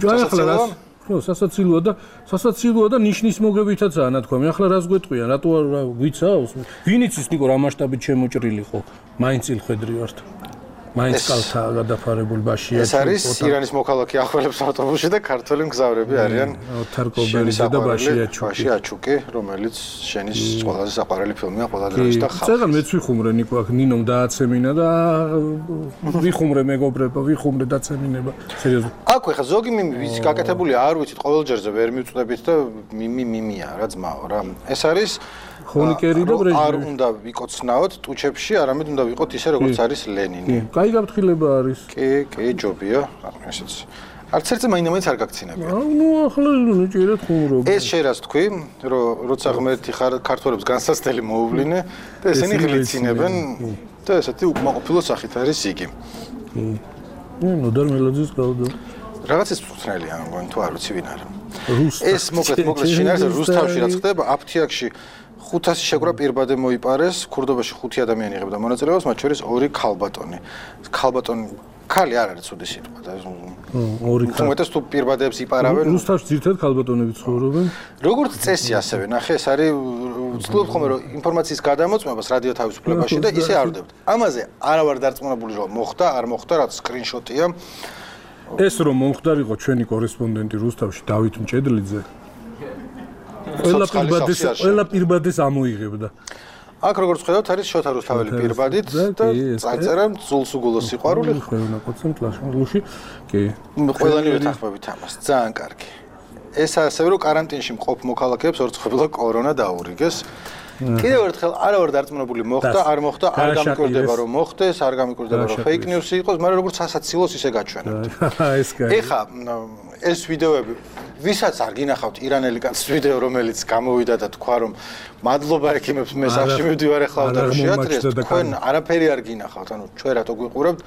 S8: ხო, სასაცილოა და ნიშნის მოგებითაცაა ნათქვამი. ახლა რას გვეტყვია, რატო არ გვიცავს? ვინ იცის ნიკო რა მასშტაბით შემოჭრილი ხო? მაინც წილხვედრი ვართ. მაინც კალთა გადაფარებული ბაშია.
S9: ეს არის ირანის მოქალაქე ახველებს ავტობუსში და ქართველი მგზავრები არიან.
S8: თარკობელიძე და
S9: ბაშიაჩუკი, რომელიც შენის ყველაზე საყვარელი ფილმია ყველა დროის და ხალხის.
S8: წეგან მეც ვიხუმრე ნიკო აქ ნინომ დააცემინა და ვიხუმრე მეგობრებო, ვიხუმრე დაცემინება. სერიოზულად.
S9: აქ ხა ზოგი ვიცი გაკეთებულია, არ ვიცით, ყოველ ჯერზე ვერ მივწდებით და მიმია რა ძმაო რა. ეს არის
S8: ხონიკერი და ბრეჟნევი.
S9: არ უნდა ვიკოცნაოთ ტუჩებში, არამედ უნდა ვიყოთ ისე როგორც არის ლენინი.
S8: კაი გაფრთხილება არის.
S9: კი, ჯობია, ესეც. არც ერთზე მაინც არ გაგცინებია.
S8: ნუ ახლა ჭირეთ ხუმრობ.
S9: ეს შეიძლება თქვი, რომ როცა ღმერთი ქართველებს განსაცდელი მოუვლინე და ესენი ღლიცინებენ და ესეთი უკმაყოფილო სახით არის იგი.
S8: ნოდარ მელოძის გავდა.
S9: რაღაცის მწვრთნელია, მგონი თუ არ ვიცი ვინ არის. ეს მოკლედ შინაარსი რუსთავში რაც ხდება, აფთიაქში 500 შეკრა პირბადე მოიპარეს, ქურდობაში 5 ადამიანი იღებდა მონაწილეობას, მათ შორის 2 ქალბატონი. ქალბატონი ქალი არ არის ცუდი სიტყვა და
S8: 2 ქალი.
S9: უმეტეს თუ პირბადეებს იპარავენ.
S8: რუსთავში ძირითადად ქალბატონები ცხოვრობენ.
S9: როგორც წესი ასევე, ნახე, ეს არის ვცდილობ ხოლმე რომ ინფორმაციის გადამოწმებას რადიო თავისუფლებაში და ისე არ ვდებთ. ამაზე არა ვარ დარწმუნებული რომ მოხდა, არ მოხდა, რაც სკრინშოტია.
S8: ეს რომ მომხდარიყო ჩვენი კორესპონდენტი რუსთავში დავით მჭედლიძე ყველა პირბადეს ამოიღებდა. აქ როგორც ხედავთ არის შოთა რუსთაველი პირბადით და წაწერა ძულსუგულო სიყვარული. ხევნა კოცემ კლაშმულში. კი.
S9: ყველანივე თანხმობით ამას. ძალიან კარგი. ეს ასევე რომ კარანტინში მყოფ მოქალაქეებს ორწყვილად კორონა დაურიგეს. კიდევ ერთხელ არა ვარ დარწმუნებული მოხდა, არ მოხდა, არ გამიკვირდება რომ მოხდეს, არ გამიკვირდება რომ fake news იყოს, მაგრამ როგორც სასაცილოს ისე გაჩვენებთ.
S8: ეს კაი.
S9: ეხა ეს ვიდეოები ვისაც არ გინახავთ ირანელი კაცის ვიდეო რომელიც გამოვიდა და თქვა რომ მადლობა ექიმებს მე სახში მივდივარ ახლა და შეატრიეს თქვენ არაფერი არ გინახავთ ანუ ჩვენ რატო გვიყურებთ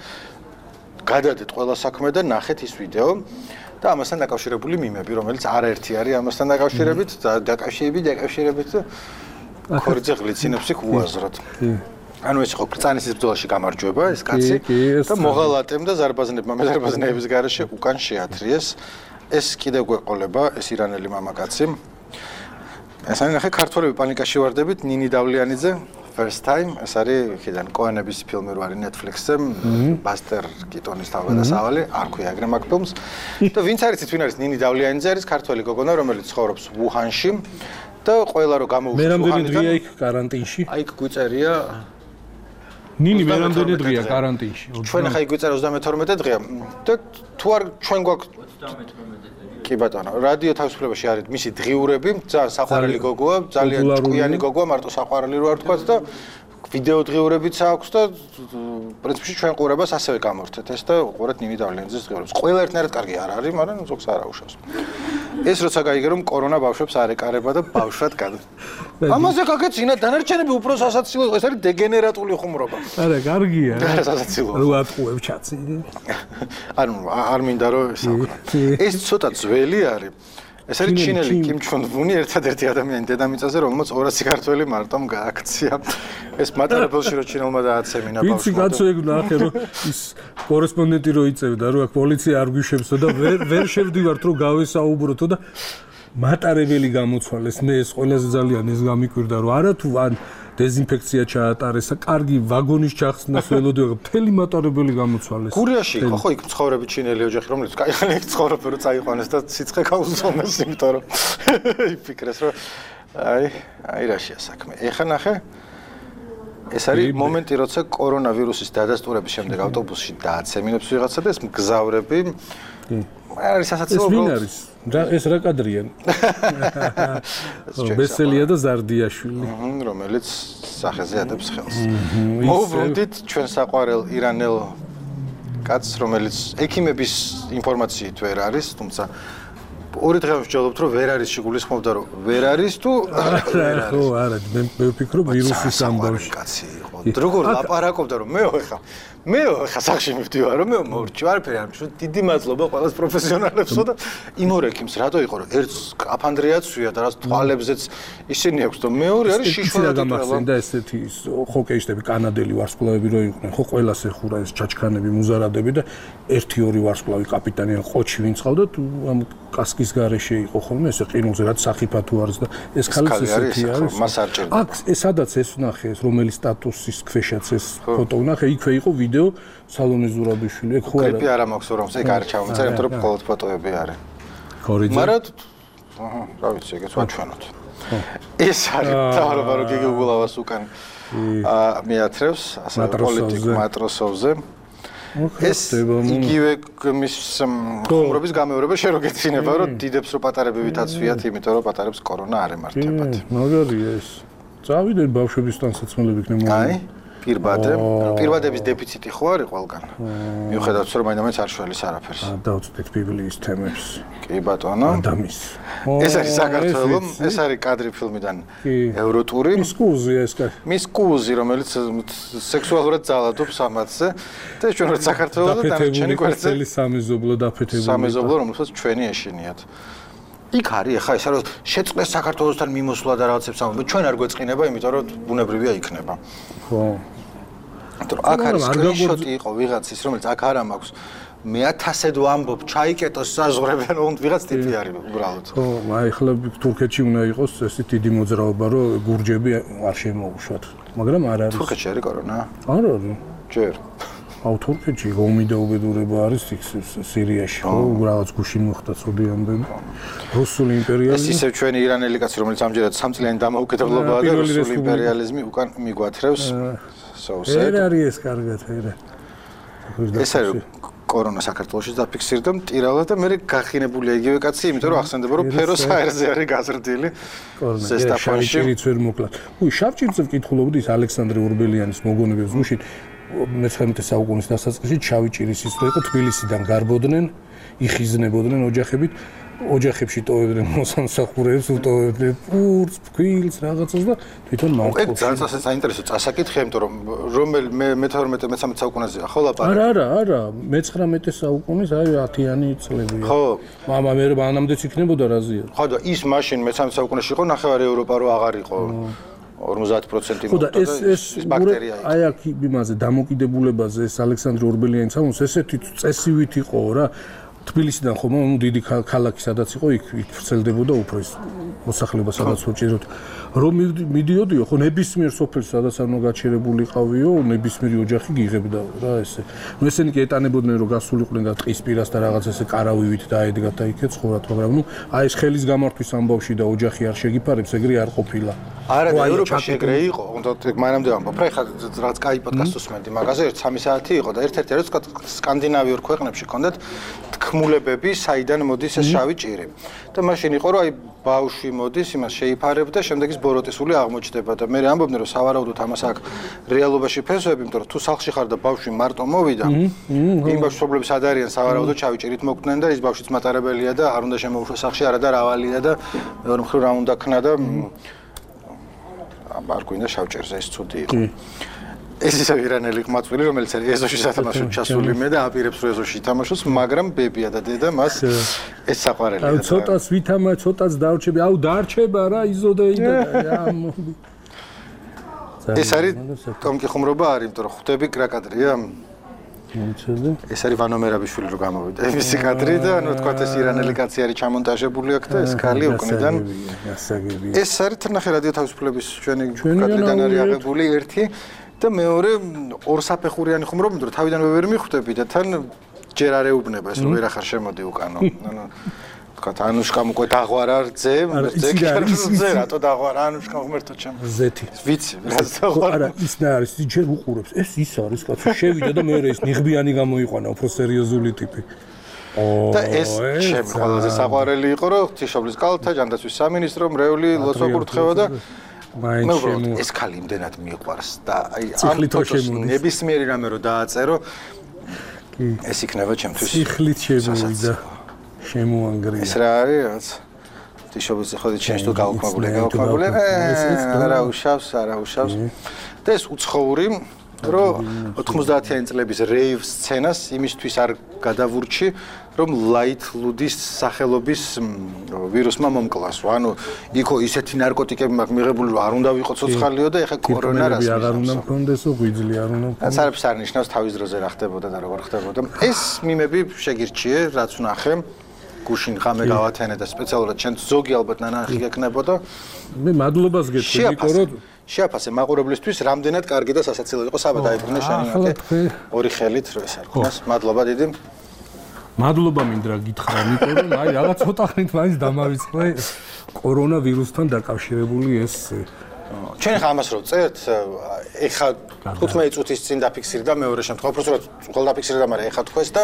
S9: გადადეთ ყველა საქმე და ნახეთ ის ვიდეო და ამასთან დაკავშირებული მიმები რომელიც არაერთი არის ამასთან დაკავშირებით და დაკავშირებით ქორიძე ღლიცინებს იქ უაზრად ანუ ეს ხო კრწანისის ბრძოლაში გამარჯვება ეს კაცი და მოღალატემ და ზარბაზნებმა მეზარბაზნეების garaშე უკან შეათრიეს ეს კიდევ გვეყოლება ეს ირანელი მამაკაცი ეს არის ნახე ქართველები პანიკაში ვარდებით ნინი დავლიანიძე first time ეს არის ხიდან კოენების ფილმი რო არის Netflix-ზე ბასტერ კიტონის თავგადასავალი არ ქვია ეგრე მაგ ფილმს და ვინც არის ვინ არის ნინი დავლიანიძე არის ქართველი გოგონა რომელიც ცხოვრობს ვუჰანში და ყველა რო გამოუშვეს
S8: მე რამდენი დღეა იქ კარანტინში
S9: აი იქ გვიწერია
S8: ნინი მე რამდენი დღეა კარანტინში
S9: ჩვენ ახლა იქ გვიწერა 32 დღეა და თუ არ ჩვენ გვაქვს 32 კი ბატონო რადიო თავისუფლებაში არის მისი დღიურები ძალიან საყვარელი გოგოა ძალიან ჭკვიანი გოგოა მარტო საყვარელი რო არ თქვათ და ვიდეო დღიურებიც აქვს და პრინციპში ჩვენ ყურებას ასევე გამორთეთ ეს და ყურეთ ნინი დავლიანიძის დღიურებს ყველა ერთნაირად კარგი არ არის მაგრამ ზოგს არ აუშავს ეს როცა გაიგე რომ კორონა ბავშვებს არ ეკარება და ბავშვად გადა ამაზე გაგეცინა დანარჩენები უფრო სასაცილო ეს არის დეგენერატული ხუმრობა
S8: არა კარგია
S9: რა სასაცილო
S8: რო ატყუებ ჩაცი
S9: ანუ არ მინდა რომ ეს ცოტა ძველი არის ეს არის ჩინელი კიმ ჩონ ვუნი ერთადერთი ადამიანი დედამიწაზე რომელმაც 200 ქართველი მარტომ გააქცია ეს მატარებელში რო ჩინელმა დააცემინა ბავშვმა
S8: ვიცი კაცო ეგ ნახე რომ ის კორესპონდენტი რო იწევდა რომ აქ პოლიცია არ გვიშებსო და ვერ შევდივართ რომ გავესაუბროთო და მატარებელი გამოცვალეს მე ეს ყველაზე ძალიან ეს გამიკვირდა რომ არა თუ ან დეზინფექცია ჩაატარესა, კარგი ვაგონის ჩახსნას ველოდები, მთელი მატარებელი გამოცვალეს.
S9: გურიაში იყო ხო იქ მცხოვრები ჩინელი ოჯახი, რომელიც კაიხანი იქ ცხოვრობენ, რომ წაიყვანეს და სიცხე გაუზომეს, იმიტომ რომ იფიქრეს, რომ აი რაშია საქმე. ეხლა ნახე ეს არის მომენტი, როცა კორონავირუსის დადასტურების შემდეგ ავტობუსში დააცემინებს ვიღაცა და ეს მგზავრები არის სასაცილო
S8: ეს ვინ არის? ეს რა კადრია? ბესელია და ზარდიაშვილი.
S9: რომელიც სახეზე ადებს ხელს. მოვუბრუნდით ჩვენ საყვარელ ირანელ კაცს, რომელიც ექიმების ინფორმაციით ვერ არის, თუმცა ორი დღე ვსჯელობთ, რომ ვერ არის შეგულისხმობდა, რომ ვერ არის თუ
S8: ხო, არა, მე ვფიქრობ ვირუსის ამბავში.
S9: კაცი იყო. როგორ ლაპარაკობდა, რომ მე ხა სახში მივდივარ რომ მე მორჩი არაფერი არ მშო დიდი მადლობა ყველას პროფესიონალებსო და იმ ორ ექიმს რატო იყო რომ ერთს აფანდრეაცია და რაც თვალებზეც ისინი აქვს და მეორე არის შიშველი და
S8: გამახსენდა ესეთი ჰოკეისტები კანადელი ვარსკვლავები რო იყვნენ ხო ყველას ეხურა ეს ჩაჩქანები მუზარადები და 1-2 ვარსკვლავი კაპიტანი ან ყოჩი ვინც ყავდა ამ კასკის გარეშე იყო ხოლმე ესე ყინულზე რაც სახიფა თუ არის და ეს ხალხი ესეთი არის
S9: მას არ ჭირდება
S8: აქ სადაც ეს ნახე ეს რომელი სტატუსის ქვეშაც ეს ფოტო ნახე იქვე იყო ვიდეო სალომე ზურაბიშვილი ეგ ხო არა
S9: კლიპი არა მაქვს რომ ეგ არ ჩავმოწერე იმიტომ რომ მხოლოდ ფოტოები არის
S8: ქორიძე
S9: მაგრამ რა ვიცი ეგეც ვაჩვენოთ ეს არის თავრობა რომ გიგულავას უკან მიათრევს ასე პოლიტიკ მატროსოვზე ეს იგივე მის ხუმრობის გამეორება შენ რო გეცინება რომ დიდებს რო პატარები ვითაცვიათ იმიტომ რომ პატარებს კორონა არ ემართებათ
S8: მაგარია ეს წავიდნენ ბავშვების თანსაცმელები იქნება
S9: აი პირბადების დეფიციტი ხო არის ყველგან მიუხედავად რომ მაინც არ შველის არაფერს
S8: დავწვდით ბიბლიის თემებს
S9: კი ბატონო
S8: ადამიანის
S9: ეს არის საქართველოს ეს არის კადრი ფილმიდან ევროტური მის კუზი რომელიც სექსუალურად ძალადობს ამათზე და ჩვენ ვართ საქართველოს და დანარჩენი კვერცხელი
S8: სამეზობლო დაფეთებული
S9: სამეზობლო რომელსაც ჩვენი ეშინიათ იქ არის ახლა ეს რომ შეწყდეს საქართველოსთან მიმოსვლა და რაღაცებს ამბობ ჩვენ არ გვეწყინება იმიტომ რომ ბუნებრივია იქნება
S8: ხო
S9: აქ არის სკრინშოტი იყო ვიღაცის რომელიც აქ არ მაქვს მე 1000-ად ვამბობ ჩაიკეტოს საზღვრებიდან რომ ვიღაც ტიპი არის უბრალოდ
S8: ხო აი ახლა თურქეთში უნდა იყოს ესე დიდი მოძრაობა რომ გურჯები არ შემოუშვათ მაგრამ არ არის
S9: თურქეთში არის კორონა
S8: არ არის
S9: ჯერ
S8: აუ თურქეთში ომი და უბედურება არის სირიაში ხო რაღაც გუშინ მოხდა ცუდი ამბები რუსული იმპერიალიზმი
S9: ეს ისე ჩვენი ირანელი კაცი რომელიც ამჯერად სამწლიანი დამოუკიდებლობაა და რუსული იმპერიალიზმი უკან მიგვათრევს სოუსეთ
S8: ეს არის ეს კარგად
S9: ეს არის კორონა საქართველოში დაფიქსირდა მტირალა და მე გახინებულია იგივე კაცი იმიტომ რომ ახსენდება რომ ფეროს აერზე არის გაზრდილი
S8: ზესტაფონში ვერ მოკლა უი შავჭირზე ვკითხულობდი ის ალექსანდრე ორბელიანის მოგონებებს გუშინ მე-19 საუკუნის დასაწყისში შავი ჭირის ის იყო თბილისიდან გარბოდნენ იხიზნებოდნენ ოჯახებში ტოვებდნენ მოსამსახურეებს უტოვებდნენ პურს, ფქვილს, რაღაცას და თვითონ მარტო.
S9: ეგ ძალიან საინტერესო წასაკითხი, იმიტომ რომ რომელი მე-12-13 საუკუნეზეა ხო ლაპარაკი?
S8: არა, მე-19 საუკუნის აი 10-იანი წლებია.
S9: ხო.
S8: მამა მე მანამდეც იქნებოდა რაზია.
S9: ხო და ის მაშინ მე-13 საუკუნეში იყო ნახევარი ევროპა რო აღარ იყო. 50%
S8: ხო და ეს ბაქტერია იყო. აი აქ იმაზე დამოკიდებულებაზე ეს ალექსანდრე ორბელიანის ამოს ესეთი წესივით იყო რა. თბილისიდან ხომ დიდი ქალაქი სადაც იყო იქ ვრცელდებოდა უფრო ეს მოსახლეობა სადაც უჭიროთ რომ მიდიოდიო ხო ნებისმიერ სოფელში სადაც არ უნდა გაჩერებული ყავიო ნებისმიერი ოჯახი გიღებდა რა ესე ნუ ესენი კი ეტანებოდნენ რომ გასულიყვნენ და ტყის პირას და რაღაც ესე კარავივით დაედგათ და იქე ცხოვრათ მაგრამ ნუ აი ეს ხელის გამართვის ამბავში და ოჯახი არ შეგიფარებს ეგრე არ ყოფილა
S9: არა და ევროპაში ეგრე იყო უნდა მანამდე ამბობ რა ხა რაც კაი პოდკასტს უსმენდი მაგაზე 3 საათი იყო და ერთ-ერთი რაც სკანდინავიურ ქვეყნებში ჰქონდათ თქმულებები საიდან მოდის ეს შავი ჭირი და მაშინ იყო რომ აი ბავშვი მოდის იმას შეიფარებდა შემდეგ ის ბოროტისული აღმოჩნდება და მე ამბობდნენ რომ სავარაუდოდ ამას აქ რეალობაში ფესვები იმიტომ რომ თუ სახლში ხარ და ბავშვი მარტო მოვიდა იმ ბავშვებს არ არიან სავარაუდოდ შავი ჭირით მოკდნენ და ის ბავშვიც მატარებელია და არ უნდა შემოუშვას სახლში არა და რავალია და მეორე მხრივ რა უნდა ქნა და არ გვინდა შავჭერზე ეს ცუდი იყო ეს ისე ირანელი ყმაწვილი რომელიც ეზოში სათამაშოდ ჩასული მე და აპირებს რომ ეზოში ითამაშოს მაგრამ ბებია და დედა მას ეს საყვარელია
S8: აუ ცოტას ვითამა ცოტას დარჩები აუ დარჩება რა იზოდეიდა ამოდი
S9: ეს არის ტომკი ხუმრობა არის იმიტომ რომ ხვდები რა კადრია ეს არის ვანო მერაბიშვილი რო გამოვიდა ეს კადრი და ანუ თქვა ეს ირანელი კაცი არის ჩამონტაჟებული აქ და ეს ქალი უკნიდან ეს არის თხნახე რადიო თავისუფლების ჩვენი კადრიდან არის აღებული ერთი და მეორე ორსაფეხურიანი ხუმრობა, იმიტომ რომ თავიდანვე ვერ მიხვდები და თან ჯერ არ ეუბნება ეს რომ ვერ ახარ შემოდი უკანო. ანუ თქვა ანუშკამ უკვე დაღვარა რძე, რძე რატო დაღვარა ანუშკამ ღმერთო ჩემ.
S8: ზეთი.
S9: ვიცი, რაც დაღვარა.
S8: არა, ის და არის, ის ჯერ უყურებს. ეს ის არის, კაცო, შევიდა და მეორე ის ნიღბიანი გამოიყვანა, უფრო სერიოზული ტიპი.
S9: და ეს ჩემ ყველაზე საყვარელი იყო, რომ ღვთისმშობლის კალთა, ჯანდაცვის სამინისტრო, მრევლი ლოცვა კურთხევა და ეს ქალი იმდენად მიყვარს და აი ამ ფოტოს ნებისმიერი რამე რო დააწერო ეს იქნება ჩემთვის
S8: სიხლით შემოვიდა შემოანგრია
S9: ეს რა არის რაც თიშობის ხოდი ჩემს თუ გაუქმებული არა უშავს და ეს უცხოური რომ 90-იანი წლების რეივ სცენას იმისთვის არ გადავურჩი რომ ლაით ლუდის სახელობის ვირუსმა მომკლას. ანუ იქო ისეთი ნარკოტიკები მაქვს მიღებული რომ არ უნდა ვიყო ცოცხალიო და ეხა კორონა რას
S8: არ უნდა მქონდესო ღვიძლი არ უნდა
S9: მქონდეს. არაფერს არ ნიშნავს თავის დროზე რა ხდებოდა და როგორ ხდებოდა. ეს მიმები შეგირჩიე რაც ვნახე გუშინ ღამე გავათენე და სპეციალურად ჩვენ ზოგი ალბათ ნანახი გეკნებოდა.
S8: მე მადლობას გეტყვი ნიკო რომ
S9: შეაფასე მაყურებლისთვის რამდენად კარგი და სასაცილო იყო საბა დაიბრუნე შენი მათე ორი ხელით ეს არ ქონას მადლობა დიდი
S8: მადლობა მინდა გითხრა ნიკო რომ აი რაღაც ცოტა ხნით მაინც დამავიწყე კორონავირუსთან დაკავშირებული ეს
S9: ჩვენ ხა ამას რო წერთ ეხა 15 წუთის წინ დაფიქსირდა მეორე შემთხვევა უბრალოდ ყველ დაფიქსირდა მაგრამ ეხა თქვეს და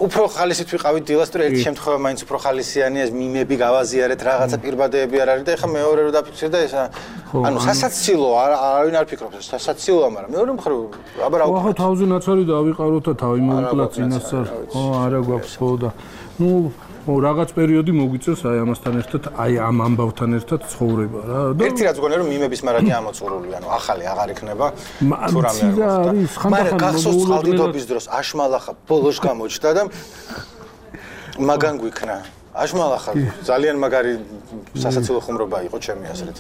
S9: უფრო ხალისით ვიყავით დილას თუ ერთი შემთხვევა მაინც უფრო ხალისიანია მიმები გავაზიარეთ რაღაცა პირბადეები არ არის და ეხა მეორე რო დაფიქსირდა ეს ანუ სასაცილო არავინ არ ფიქრობს სასაცილოა მაგრამ მეორე მხრივ აბა რა
S8: ვახო თავზე ნაცარი დავიყაროთ და თავი მოვიკლა წინასწარ არა გვაქვს ხო და ნუ რაღაც პერიოდი მოგვიწევს აი ამასთან ერთად აი ამ ამბავთან ერთად ცხოვრება რა და
S9: ერთი რაც გონია რომ მიმების მარაგი ამოწურული ანუ ახალი აღარ იქნება თუ რამე
S8: არის
S9: მაგრამ გახსოვს წყალდიდობის დროს აშმალახა ბოლოს გამოჩნდა და მაგან გვიქნა აშმალახა ძალიან მაგარი სასაცილო ხუმრობა იყო ჩემი აზრით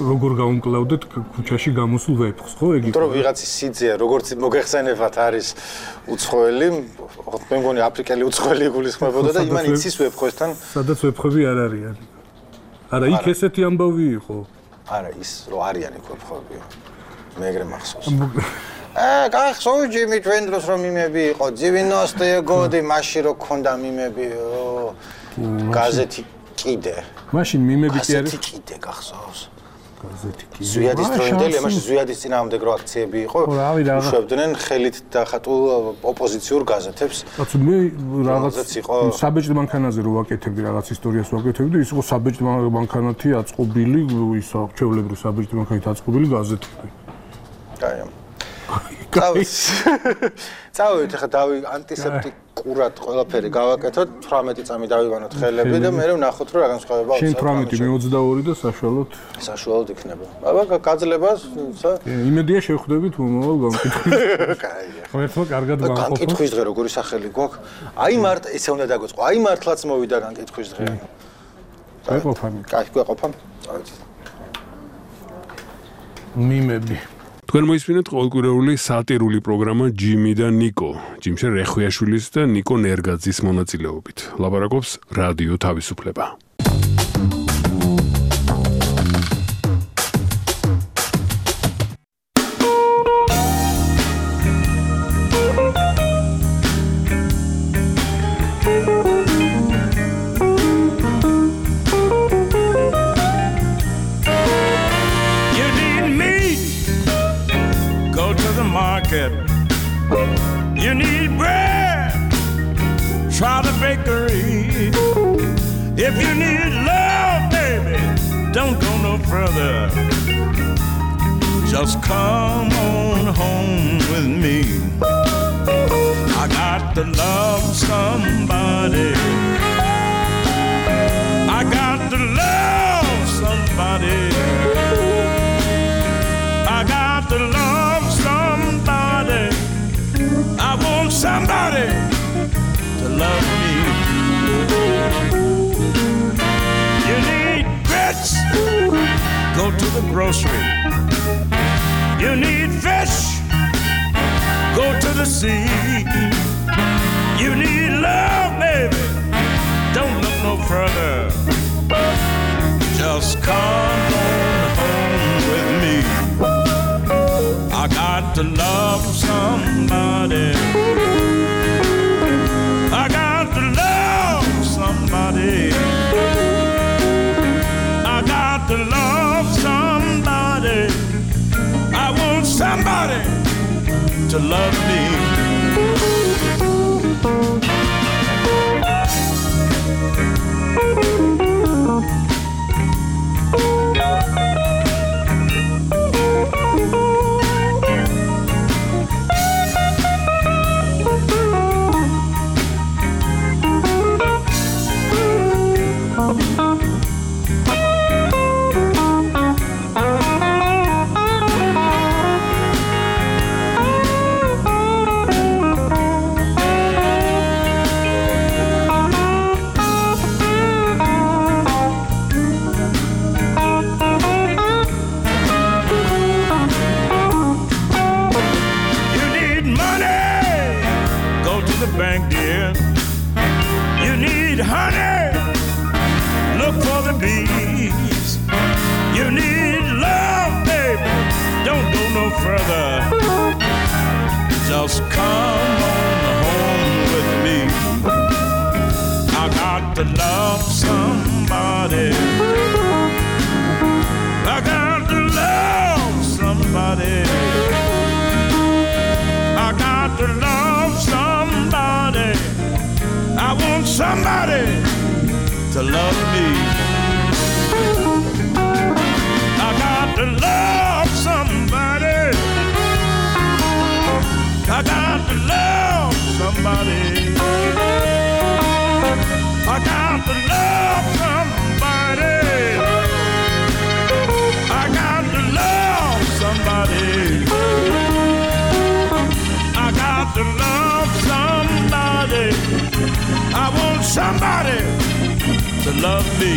S8: როგორ გაუმკლავდეთ ქუჩაში გამოსულ ვეფხს ხო ეგ იყო
S9: იმიტომ რომ ვიღაცის სიძეა როგორც მოგეხსენებათ არის უცხოელი მე მგონი აფრიკელი უცხოელი იგულისხმებოდა და იმან იცის ვეფხვესთან
S8: სადაც ვეფხვები არ არიან არა იქ ესეთი ამბავი იყო
S9: არა ის რო არიან იქ ვეფხვები მე ეგრე მახსოვს გახსოვს ჯიმი ჩვენ დროს რომ მიმები იყო 90-ე გოდი მაშინ რო ქონდა მიმები გაზეთი კიდე
S8: მაშინ მიმები კი არის
S9: გაზეთი კიდე გახსოვს
S8: გაზეთი კიდე
S9: ზვიადის დროინდელი მაშინ ზვიადის წინააღმდეგ რო აქციები იყო უშვებდნენ ხელით დახატულ ოპოზიციურ გაზეთებს
S8: კაცო მე რაღაც საბეჭდ მანქანაზე რო ვაკეთებდი რაღაც ისტორიას ვაკეთებდი ის იყო საბეჭდ მანქანათი აწყობილი ისა ჩვეულებრივ საბეჭდ მანქანით აწყობილი გაზეთები
S9: წავედით ახლა ანტისეპტიკურად ყველაფერი გავაკეთოთ 18 წამი დავივანოთ ხელები და მე ვნახოთ რომ რა განსხვავება
S8: აქვს. შენ 18 მე 22 და
S9: საშუალოდ იქნება. აბა გაძლებას
S8: იმედია შევხვდებით მომავალ განკითხვით. კაია. ერთმა კარგად განყოფა.
S9: განკითხვის დღე როგორი სახელი გვაქვს? აი მარტ ესე უნდა დაგოწყო. აი მართლაც მოვიდა განკითხვის დღე.
S8: გვეყოფანი.
S9: კაი, გვეყოფა. წავედით.
S8: მიმები
S1: თქვენ მოისმინეთ ყოველკვირეული სატირული პროგრამა ჯიმი და ნიკო, ჯიმშე რეხვიაშვილის და ნიკო ნერგაძის მონაწილეობით. ლაპარაკობს რადიო თავისუფლება.
S10: You need bread, try the bakery. If you need love, baby, don't go no further. Just come on home with me. I got to love somebody. I got to love somebody. I got to love somebody. I want somebody to love me. You need grits, go to the grocery. You need fish, go to the sea. You need love, baby, don't look no further. Just come on home with me. I got to love somebody. I got to love somebody. I got to love somebody. I want somebody to love me. no further. Just come on home with me. I got to love somebody. I got to love somebody. I got to love somebody. I want somebody to love me. I got to love somebody. I got to love somebody. I got to love somebody. I got to love somebody. I got to love somebody. I want somebody to love me.